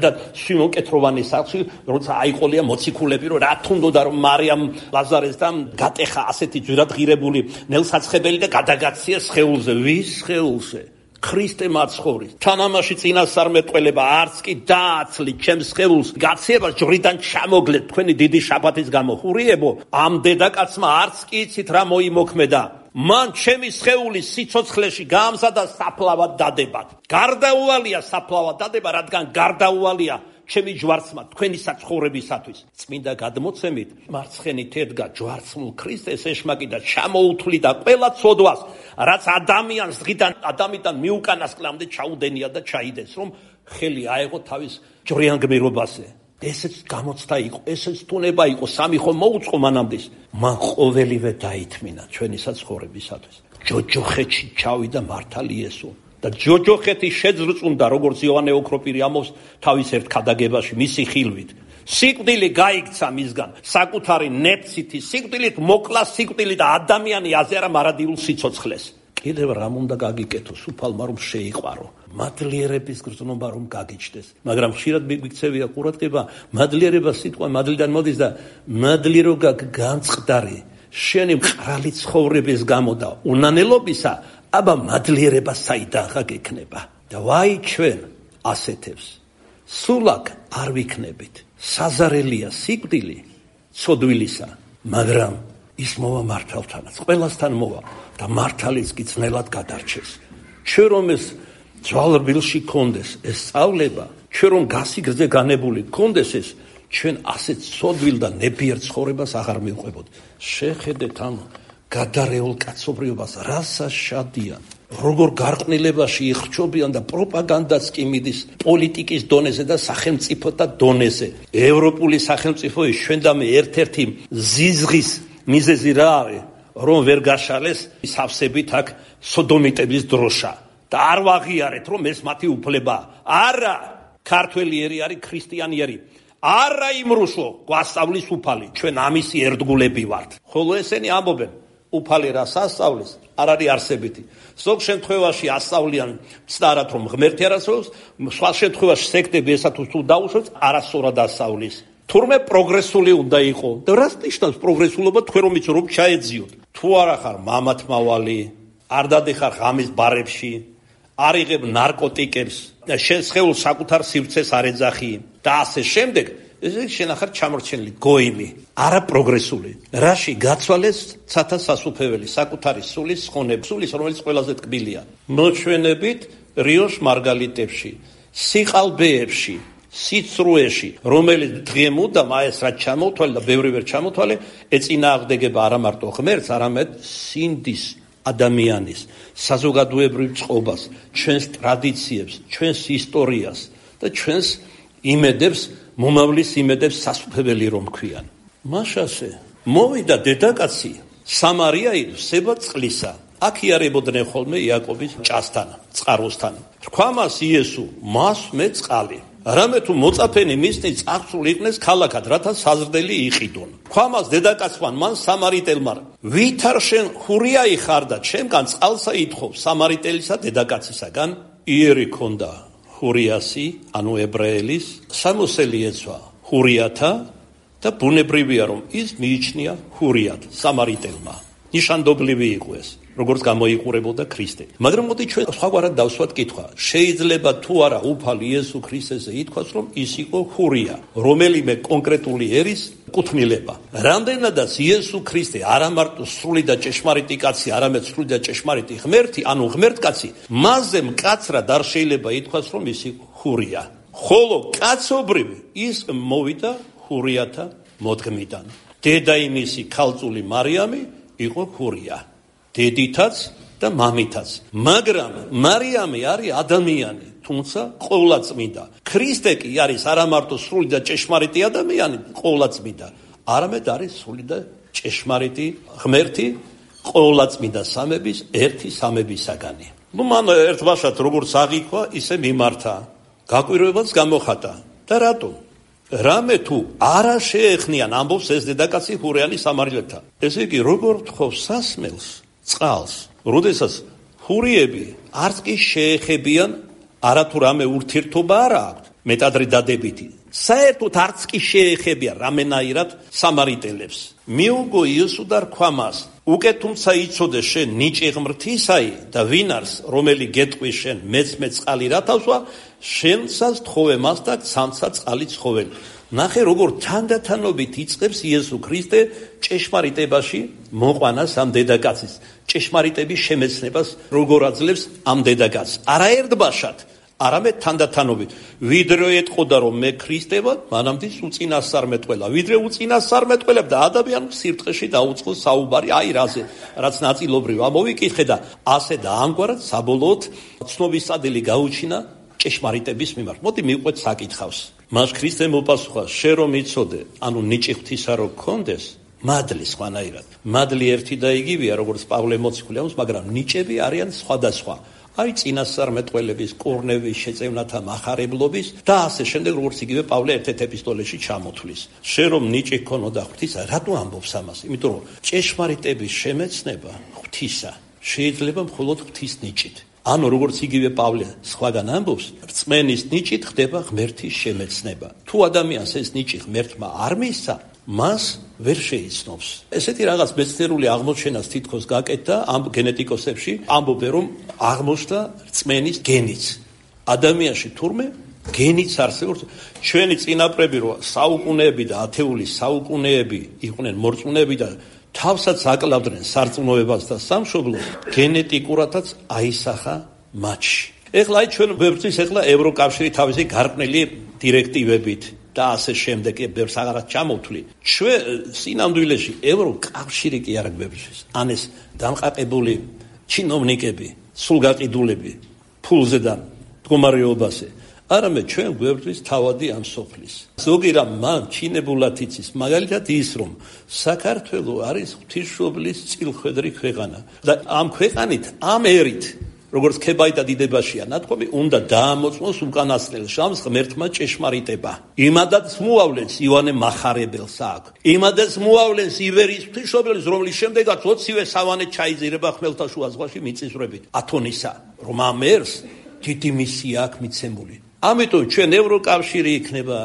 და სიმონ კეთროვანის სახლში, როცა აიყოლია მოციქულები, რომ რა თუნდოდა, რომ მარიამ ლაზარესთან გატეხა ასეთი ძვირადღირებული ნელსაცხებელი და გადაგაცია სხეულზე. ვის სხეულზე? ქრისტე მაცხოვრის. თანამაში წინასწარმეტყველება არც კი დააცლით ჩემს სხეულს, გაციებას ჯვრიდან ჩამოგლეთ თქვენი დიდი შაბათის გამო. ხურიებო, ამ დედაკაცმა არც კი იცით რა მოიმოქმედა. მან ჩემი სხეული სიცოცხლეში გაამზადა საფლავად დადებად. გარდაუვალია საფლავად დადება, რადგან გარდაუვალია ჩემი ჯვარცმა თქვენი საცხოვრებისათვის. წმინდა გადმოცემით მარცხენით ედგა ჯვარცმულ ქრისტეს ეშმაკი და ჩამოუთვლიდა ყველა ცოდვას, რაც ადამიანს დღიდან ადამიდან მიუკანასკლამდე ჩაუდენია და ჩაიდეს, რომ ხელი აეღო თავის ჯვრიან გმირობაზე. ესეც გამოცდა იყო, ესეც თუნება იყო, სამი ხომ მოუწყო მანამდის. მან ყოველივე დაითმინა ჩვენი საცხოვრებისათვის. ჯოჯოხეთში ჩავიდა მართალი იესო და ჯოჯოხეთი შეძრწუნდა, როგორც იოანე ოქროპირი ამბობს თავის ერთ ქადაგებაში მისი ხილვით. სიკვდილი გაიქცა მისგან, საკუთარი ნეფცითი სიკვდილით მოკლა სიკვდილი და ადამიანი აზერა მარადიულ სიცოცხლეს. კიდევ რამ უნდა გაგიკეთოს უფალმა, რომ შეიყვარო, მადლიერების გრძნობა რომ გაგიჩნდეს. მაგრამ ხშირად მიგვიქცევია ყურადღება, მადლიერება სიტყვა მადლიდან მოდის და მადლირო განწყდარი შენი მყრალი ცხოვრების გამო და უნანელობისა, აბა მადლიერება საიდან გექნება? და ვაი ჩვენ ასეთებს სულაკ არ ვიქნებით. საზარელია სიკვდილი ცოდვილისა, მაგრამ ის მოვა მართალთანაც, ყველასთან მოვა და მართალიც კი ძნელად გადარჩეს. ჩვენ რომ ეს ძვალრბილში კონდეს ეს სწავლება, ჩვენ რომ გასიგრძე განებული კონდეს ეს, ჩვენ ასეთ ცოდვილ და ნებიერ ცხოვრებას აღარ მივყვებოდ. შეხედეთ ამ გადარეულ კაცობრიობას, რასა შადიან, როგორ გარყვნილებაში იხრჩობიან და პროპაგანდაც კი მიდის პოლიტიკის დონეზე და სახელმწიფოთა დონეზე. ევროპული სახელმწიფოების ჩვენ და მე ერთ-ერთი ზიზღის მიზეზი რა არის, რომ ვერ გაშალეს სავსებით აქ სოდომიტების დროშა და არ ვაღიარეთ, რომ ეს მათი უფლება. არა, ქართველი ერი არის ქრისტიანიერი. არა იმრუშო, გვასწავლის უფალი, ჩვენ ამისი ერთგულები ვართ. ხოლო ესენი ამბობენ, უფალი რას ასწავლის, არ არის არსებითი. ზოგ შემთხვევაში ასწავლიან ცდარად, რომ ღმერთი არასწავლებს, სხვა შემთხვევაში სექტები ესა თუ დაუშვებს, არასწორად ასწავლის. თურმე პროგრესული უნდა იყო. და რას ნიშნავს პროგრესულობა, თქვენ რომ იცი რომ ჩაეძიოთ? თუ არა ხარ მამათმავალი, არ დადიხარ ღამის ბარებში, არ იღებ ნარკოტიკებს და შენ სხეულს საკუთარ სივრცეს არ ეძახი და ასე შემდეგ, ეს შენ ახარ ჩამორჩენილი გოიმი, არა პროგრესული. რაში გაცვალეს ცათა სასუფეველი, საკუთარი სულის ხონებს, სულის, რომელიც ყველაზე ტკბილია. მოჩვენებით რიოს მარგალიტებში, სიყალბეებში, სიცრუეში, რომელიც დღემუდამ ეს რაც ჩამოთვალე და ბევრი ვერ ჩამოთვალე, ეწინააღმდეგება არა მარტო ღმერთს, არამედ სინდის ადამიანის საზოგადოებრივ წყობას, ჩვენს ტრადიციებს, ჩვენს ისტორიას და ჩვენს იმედებს, მომავლის იმედებს სასუფეველი რომ ქვიან. მაშასე მოვიდა დედაკაცი სამარიაიდან სება წყლისა. აქ იარებოდნენ ხოლმე იაკობის ჭასთან, წყაროსთან. თქვა მას იესო, მას მე წყალი. რამე თუ მოწაფენი მისნი წარსულ იყნეს ქალაქად, რათა საზრდელი იყიდონ. თქვა მას დედაკაცმა მან სამარიტელმა, ვითარ შენ ხურიაი ხარ და ჩემგან წყალსა ითხოვ სამარიტელისა დედაკაცისაგან? იერი ქონდა ხურიასი, ანუ ებრაელის, სამოსელი ეცვა ხურიათა და ბუნებრივია რომ ის მიიჩნია ხურიად სამარიტელმა. ნიშანდობლივი იყო ეს, როგორც გამოიყურებოდა ქრისტე. მაგრამ მოდი ჩვენ სხვაგვარად დავსვათ კითხვა. შეიძლება თუ არა უფალი იესო ქრისტეზე ითქვას, რომ ის იყო ხურია, რომელიმე კონკრეტული ერის კუთვნილება. რამდენადაც იესო ქრისტე არა მარტო სრული და ჭეშმარიტი კაცი, არამედ სრული და ჭეშმარიტი ღმერთი, ანუ ღმერთკაცი, მასზე მკაცრად არ შეიძლება ითქვას, რომ ის იყო ხურია. ხოლო კაცობრივი ის მოვიდა ხურიათა მოდგმიდან. დედა იმისი ქალწული მარიამი იყო ხურია. დედითაც და მამითაც. მაგრამ მარიამი არის ადამიანი, თუმცა ყოვლადწმინდა. ქრისტე კი არის არა მარტო სრული და ჭეშმარიტი ადამიანი, ყოვლადწმინდა, არამედ არის სრული და ჭეშმარიტი ღმერთი, ყოვლადწმინდა სამების ერთი სამებისაგანი. ნუ მან ერთ ბაშად როგორც აღიქვა, ისე მიმართა. გაკვირვებაც გამოხატა. და რატომ? რამე თუ არა შეეხნიან ამბობს ეს დედაკაცი ჰურიანი სამარიელთა. ესე იგი, როგორ თხოვს სასმელს, წყალს, როდესაც ჰურიები არც კი შეეხებიან, არათუ რამე ურთიერთობა არა აქვთ, მეტადრე დადებითი. საერთოდ არც კი შეეხებიან რამენაირად სამარიტელებს. მიუგო იესო და რქვა მას, უკე თუმცა იცოდე შენ ნიჭი ღმრთისაი და ვინარს, რომელი გეტყვის შენ მეცმე წყალი რათავსვა, შენსაც თხოვე მას და ცამცა წყალი ცხოველი. ნახე, როგორ თანდათანობით იწყებს იესო ქრისტე ჭეშმარიტებაში მოყვანას ამ დედაკაცის, ჭეშმარიტების შემეცნებას როგორ აძლევს ამ დედაკაცს. არაერთბაშად, არამედ თანდათანობით. ვიდრე ეტყოდა რომ მე ქრისტე ვარ, მანამდე უწინასწარმეტყველა. ვიდრე უწინასწარმეტყველებ და ადამიანს სირწყეში დაუწყო საუბარი აი რაზე, რაც ნაწილობრივ ამოვიკითხე და ასე და ამგვარად საბოლოოდ ცნობის ადილი გაუჩინა ჭეშმარიტების მიმართ. მოდი მივყვეთ საკითხავს. მას ქრისტე მოპასუხა, შენ რომ იცოდე, ანუ ნიჭი ღვთისა რო გქონდეს, მადლი სხვანაირად. მადლი ერთი და იგივეა, როგორც პავლე მოციქული ამბობს, მაგრამ ნიჭები არიან სხვადასხვა. აი წინასწარმეტყველების, კურნევის, შეწევნათა მახარებლობის და ასე შემდეგ, როგორც იგივე პავლე ერთ-ერთ ეპისტოლეში ჩამოთვლის. შენ რომ ნიჭი გქონოდა ღვთისა, რატო ამბობს ამას? იმიტომ რომ ჭეშმარიტების შემეცნება ღვთისა შეიძლება მხოლოდ ღვთის ნიჭით. ანუ როგორც იგივე პავლე სხვაგან ამბობს, რწმენის ნიჭით ხდება ღმერთის შემეცნება. თუ ადამიანს ეს ნიჭი ღმერთმა არ მისცა, მას ვერ შეიცნობს. ესეთი რაღაც მეცნიერული აღმოჩენას თითქოს გაკეთდა ამ გენეტიკოსებში, ამბობენ რომ აღმოჩნდა რწმენის გენიც. ადამიანში თურმე გენიც არსებობს. ჩვენი წინაპრები რო საუკუნეები და ათეული საუკუნეები იყვნენ მორწმუნეები და თავსაც აკლავდნენ სარწმუნოებას და სამშობლოს, გენეტიკურადაც აისახა მათში. ეხლა აი ჩვენ ვებრძვის ეხლა ევროკავშირი თავისი გარყვნილი დირექტივებით და ასე შემდეგ ბევრს აღარაც ჩამოვთვლი. ჩვენ სინამდვილეში ევროკავშირი კი არ გვებრძვის. ან ეს დამყარებული ჩინოვნიკები, სულგაყიდულები, ფულზე და მდგომარეობაზე. არამედ ჩვენ გვერდვის თავადი ამ სოფლის. ზოგი რამ მან ჩინებულად იცის, მაგალითად ის რომ საქართველო არის ღვთისმშობლის წილხვედრი ქვეყანა და ამ ქვეყანით, ამ ერით, როგორც ქებაი და დიდებაშია ნათქვამი, უნდა დაამოწმოს უკანასკნელ შამს ღმერთმა ჭეშმარიტება. იმადაც მოავლენს იოანე მახარებელს აქ. იმადაც მოავლენს ივერიის ღვთისმშობლის, რომლის შემდეგაც ოცივე სავანე ჩაიძირება ხმელთაშუა ზღვაში მიწისძვრებით. ათონისა, რომ ამ ერს დიდი მისია აქვს მიცემული. ამიტომ ჩვენ ევროკავშირი იქნება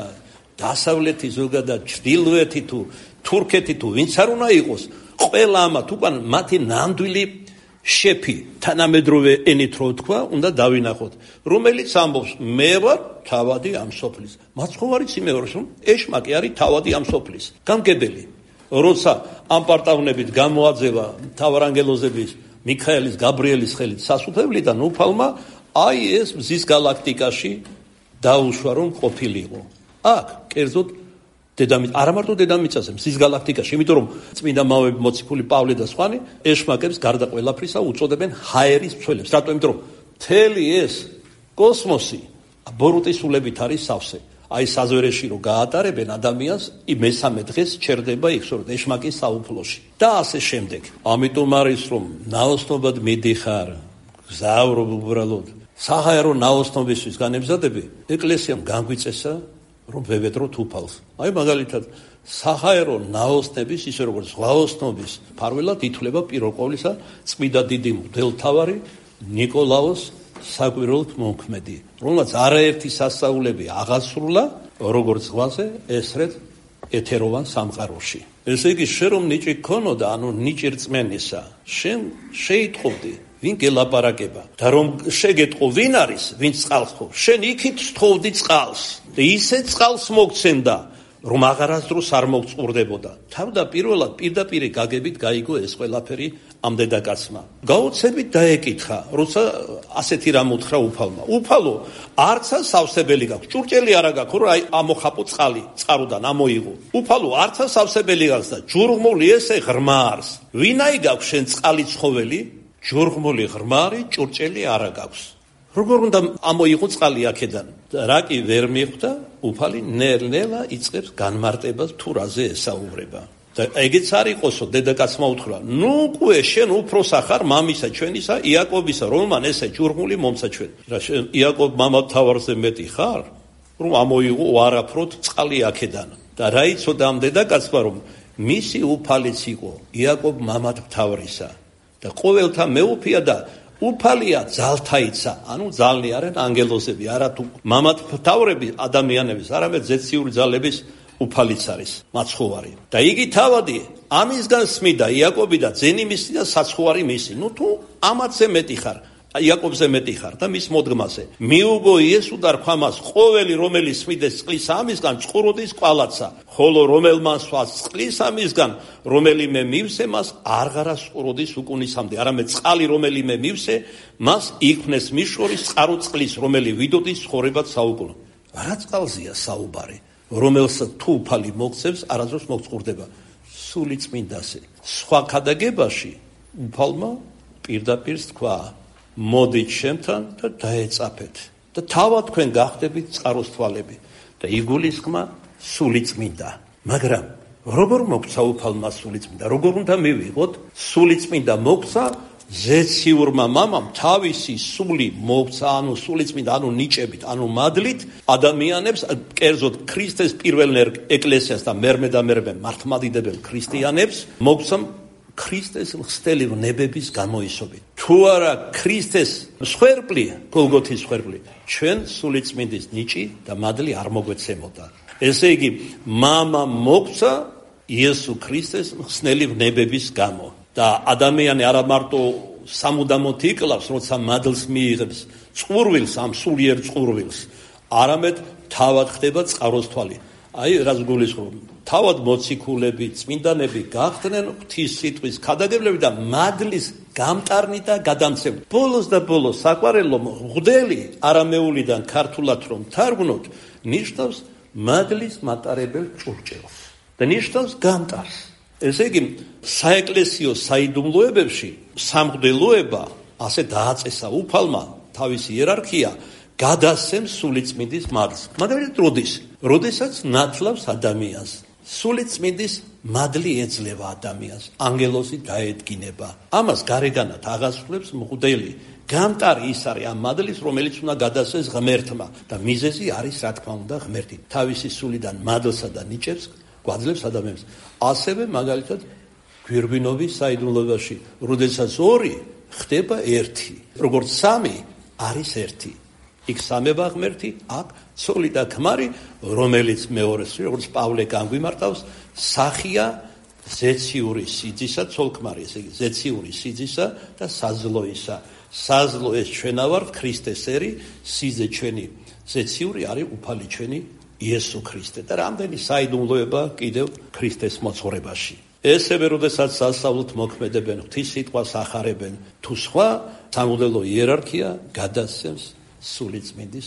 დასავლეთი ზოგადად ჩრდილოეთი თუ თურქეთი თუ ვინც არ უნდა იყოს, ყველა ამათ უკან მათი ნამდვილი შეფი თანამედროვე ენით რო თქვა, უნდა დავინახოთ, რომელიც ამბობს მე ვარ თავადი ამ სოფლის. მაცხოვარიც იმეორს რომ ეშმაკი არის თავადი ამ სოფლის. გამგებელი, როცა ამ პარტავნებით გამოაძევა მთავარანგელოზების მიქაელის, გაბრიელის ხელით სასუფევლიდან უფალმა, აი ეს მზის გალაქტიკაში დაუშვა რომ ყოფილიყო. აქ კერძოდ დედამიწა, არა მარტო დედამიწაზე, მზის გალაქტიკაში, იმიტომ რომ წმინდა მამები მოციქული პავლე და სხვანი ეშმაკებს გარდა ყველაფრისა უწოდებენ ჰაერის მცველებს. რატომ? იმიტომ რომ მთელი ეს კოსმოსი ბოროტის სულებით არის სავსე. აი საზვერეში რო გაატარებენ ადამიანს, მესამე დღეს ჩერდება იხსოვროთ ეშმაკის საუფლოში. და ასე შემდეგ. ამიტომ არის რომ ნაოსნობად მიდიხარ, გზავრობ უბრალოდ. საჰაერო ნაოსნობისთვის განებზადები, ეკლესიამ განგვიწესა, რომ ვევედროთ უფალს. აი მაგალითად, საჰაერო ნაოსნების, ისე როგორც ზღვაოსნობის ფარველად ითვლება პირველ ყოვლისა წმინდა დიდი მღვდელმთავარი ნიკოლაოს საკვირველთ მომქმედი, რომელმაც არაერთი სასწაულები აღასრულა, როგორც ზღვაზე, ესრეთ ეთეროვან სამყაროში. ესე იგი, შენ რომ ნიჭი გქონოდა, ანუ ნიჭი რწმენისა, შენ შეიტყობდი ვინ გელაპარაკება და რომ შეგეტყო ვინ არის, ვინც წყალს თხოვს, შენ იქით თხოვდი წყალს და ისე წყალს მოგცემდა, რომ აღარასდროს არ მოგწყურდებოდა. თავდაპირველად პირდაპირ გაგებით გაიგო ეს ყველაფერი ამ დედაკაცმა. გაოცებით დაეკითხა, როცა ასეთი რამ უთხრა უფალმა. უფალო, არცა სავსებელი გაქვს, ჭურჭელი არა გაქვს, რომ აი ამოხაპო წყალი წყაროდან ამოიღო. უფალო, არცა სავსებელი გაქვს და ჯურღმული ესე ღრმარს. ვინაი გაქვს შენ წყალი ცხოველი? ჯურღმული ღრმარი, ჭურჭელი არა გაქვს. როგორ უნდა ამოიღო წყალი აქედან? რა კი ვერ მიხვდა, უფალი ნელ-ნელა იწყებს განმარტებას თუ რაზე ესაუბრება. და ეგეც არ იყოსო, დედაკაცმა უთხრა, ნუ ყვე შენ უფროსა ხარ მამისა ჩვენისა იაკობისა, რომელმან ესე ჯურმული მომცა ჩვენ. რა შენ იაკობ მამათავარზე მეტი ხარ? რომ ამოიღო არაფროდ წყალი აქედან. და რა იცოდა ამ დედაკაცმა, რომ მისი უფალიც იყო იაკობ მამათავრისა და ყოველთა მეუფია და უფალია ძალთაიცა, ანუ ძალნი არიან ანგელოზები, არა თუ მამათავრები ადამიანების, არამედ ზეციური ძალების უფალიც არის მაცხოვარი. და იგი თავადი ამისგან სმიდა იაკობი და ძენი მისი და საცხოვარი მისი. ნუ თუ ამათზე მეტი ხარ, იაკობზე მეტი ხარ და მის მოდგმაზე. მიუგო იესო და რქვა მას, ყოველი რომელიც სმიდეს წყლის ამისგან წყუროდის კვალაცა, ხოლო რომელმან სვას წყლის ამისგან, რომელიმე მივსე მას არღარა წყუროდის უკუნისამდე, არამედ წყალი რომელიმე მივსე მას იქმნეს მის შორის წყარო წყლის, რომელი ვიდოდის ცხოვრებად საუკუნო. რა წყალზეა საუბარი? რომელსაც თუ უფალი მოგცემს, არასდროს მოგწყურდება. სული წმინდაზე. სხვა ქადაგებაში უფალმა პირდაპირ თქვა, მოდით ჩემთან და დაეწაფეთ და თავად თქვენ გახდებით წყაროს თვალები და იგულისხმა სული წმინდა. მაგრამ როგორ მოგცა უფალმა სული წმინდა? როგორ უნდა მივიღოთ? სული წმინდა მოგცა ზეციურმა მამამ თავისი სული მოგცა, ანუ სული წმინდა, ანუ ნიჭებით, ანუ მადლით ადამიანებს, კერძოდ ქრისტეს პირველ ეკლესიას და მერმე და მერმე მართლმადიდებელ ქრისტიანებს მოგცა ქრისტეს ხსტელი ვნებების გამოისობით. თუ არა ქრისტეს მსხვერპლი, გოლგოთის მსხვერპლი, ჩვენ სულიწმინდის ნიჭი და მადლი არ მოგვეცემოდა. ესე იგი, მამა მოგცა იესო ქრისტეს ხსნელი ვნებების გამო. და ადამიანი არა მარტო სამუდამოდ იკლავს, როცა მადლს მიიღებს წყურვილს, ამ სულიერ წყურვილს, არამედ თავად ხდება წყაროს თვალი. აი, რაც გულისხმობ, თავად მოციქულები, წმინდანები გახდნენ ღვთის სიტყვის ქადაგებლები და მადლის გამტარნი და გადამცემლი. ბოლოს და ბოლოს საყვარელო მღვდელი არამეულიდან ქართულად რომ თარგმნოთ, ნიშნავს მადლის მატარებელ ჭურჭელს და ნიშნავს გამტარს. ესე იგი, საეკლესიო საიდუმლოებებში სამღვდელოება ასე დააწესა უფალმა თავისი იერარქია გადასცემს სულიწმინდის მადლს. მაგრამ როდის? როდესაც ნათლავს ადამიანს. სულიწმინდის მადლი ეძლევა ადამიანს, ანგელოზი დაედგინება. ამას გარეგანად აღასრულებს მღვდელი. გამტარი ის არის ამ მადლის, რომელიც უნდა გადასცეს ღმერთმა და მიზეზი არის, რა თქმა უნდა, ღმერთი. თავისი სულიდან მადლსა და ნიჭებს გვაძლევს ადამიანს. ასევე მაგალითად გვირგვინობის საიდუმლოებაში, როდესაც ორი ხდება ერთი, როგორც სამი არის ერთი. იქ სამება ღმერთი, აქ ცოლი და ქმარი, რომელიც მეორეს, როგორც პავლე განგვიმარტავს, სახია ზეციური სიძისა, ცოლ-ქმარი, ესე იგი, ზეციური სიძისა და საზლოისა. საზლო ეს ჩვენა ვართ, ქრისტესერი, სიძე ჩვენი, ზეციური არის უფალი ჩვენი იესო ქრისტე. და რამდენი საიდუმლოება კიდევ ქრისტეს მოძღვრებაში. ესევე, როდესაც სასწაულთ მოქმედებენ, ღვთის სიტყვას ახარებენ, თუ სხვა სამღვდელო იერარქია გადასცემს სულიწმინდის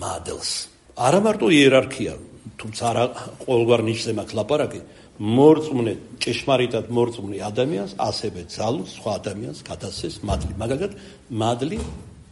მადლს. არა მარტო იერარქია, თუმცა არა ყოველგვარ ნიშნზე მაქვს ლაპარაკი, მორწმუნე, ჭეშმარიტად მორწმუნე ადამიანს, ასევე ძალუს სხვა ადამიანს გადასცემს მადლი. მაგალითად, მადლი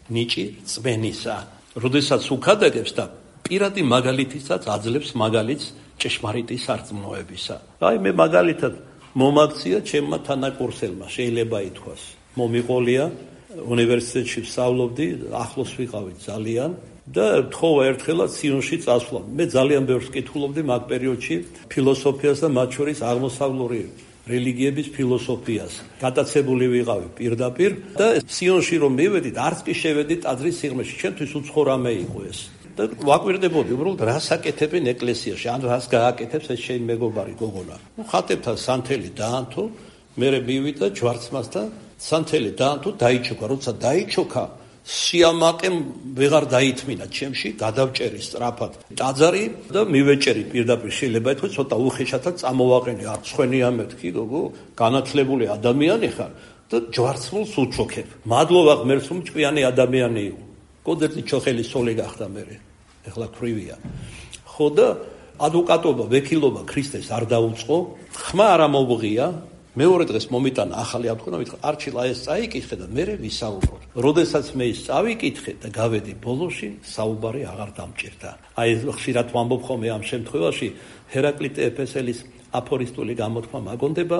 ნიჭი რწმენისა. როდესაც უქადაგებს და პირადი მაგალითისაც აძლევს მაგალითს ჭეშმარიტი სარწმუნოებისა. აი, მე მაგალითად მომაქცია ჩემმა თანაკურსელმა, შეიძლება ითქვას. მომიყოლია უნივერსიტეტში ვსწავლობდი, ახლოს ვიყავით ძალიან და თხოვა ერთხელაც სიონში წასვლა. მე ძალიან ბევრს კითხულობდი მაგ პერიოდში ფილოსოფიას და მათ შორის აღმოსავლური რელიგიების ფილოსოფიას. გატაცებული ვიყავი პირდაპირ და სიონში რომ მივედით, არც კი შევედით ტაძრის სიღრმეში, ჩემთვის უცხო რამე იყო ეს. და ვაკვირდებოდი, უბრალოდ რას აკეთებენ ეკლესიაში, ან რას გააკეთებს ეს შენ მეგობარი გოგონა. ნუ ხატებთან სანთელი დაანთო, მე მივიდა ჯვარცმასთან სანთელი დაანთო, დაიჩოქა, როცა დაიჩოქა, სიამაყემ ვეღარ დაითმინა ჩემში, გადავჭერი სწრაფად ტაძარი და მივეჭერი პირდაპირ, შეიძლება ითქვას ცოტა უხეშათაც წამოვაყენე, არ ცხენია მეთქი, გოგო, განათლებული ადამიანი ხარ და ჯვარცმულს უჩოქებ. მადლობა ღმერთს, რომ ჭკვიანი ადამიანი იყო. კოდერტი ჩოხელი სოლი გახდა მე. ეხლა ქრივია. ხო და ადვოკატობა, ვექილობა ქრისტეს არ დაუწყო, ხმა არ ამოვღია. მეორე დღეს მომიტანა ახალი ავთქონა, მითხრა არჩილა ეს წაიკითხე და მე ვისაუბროთ. როდესაც მე ის წავიკითხე და გავედი ბოლოში, საუბარი აღარ დამჭირდა. აი ხშირად ვამბობ ხოლმე ამ შემთხვევაში, ჰერაკლიტე ეფესელის აფორისტული გამოთქმა მაგონდება,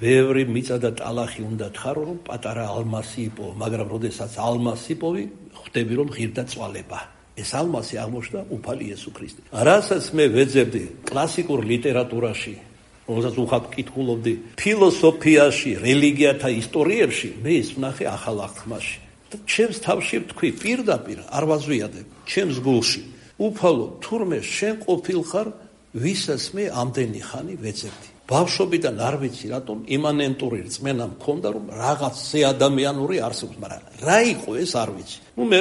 ბევრი მიწა და ტალახი უნდა თხარო, რომ პატარა ალმასი იპოვო, მაგრამ როდესაც ალმასი იპოვი, ხვდები რომ ღირდა წვალება. ეს ალმასი აღმოჩნდა უფალი იესო ქრისტე. რასაც მე ვეძებდი კლასიკურ ლიტერატურაში, რომელსაც უხად კითხულობდი, ფილოსოფიაში, რელიგიათა ისტორიებში, მე ის ვნახე ახალ აღთქმაში. და ჩემს თავში ვთქვი, პირდაპირ არ ვაზვიადებ, ჩემს გულში. უფალო, თურმე შენ ყოფილხარ, ვისაც მე ამდენი ხანი ვეძებდი. ბავშვობიდან არ ვიცი რატომ იმანენტური რწმენა მქონდა, რომ რაღაც ზეადამიანური არსებობს, მაგრამ რა იყო ეს არ ვიცი. ნუ მე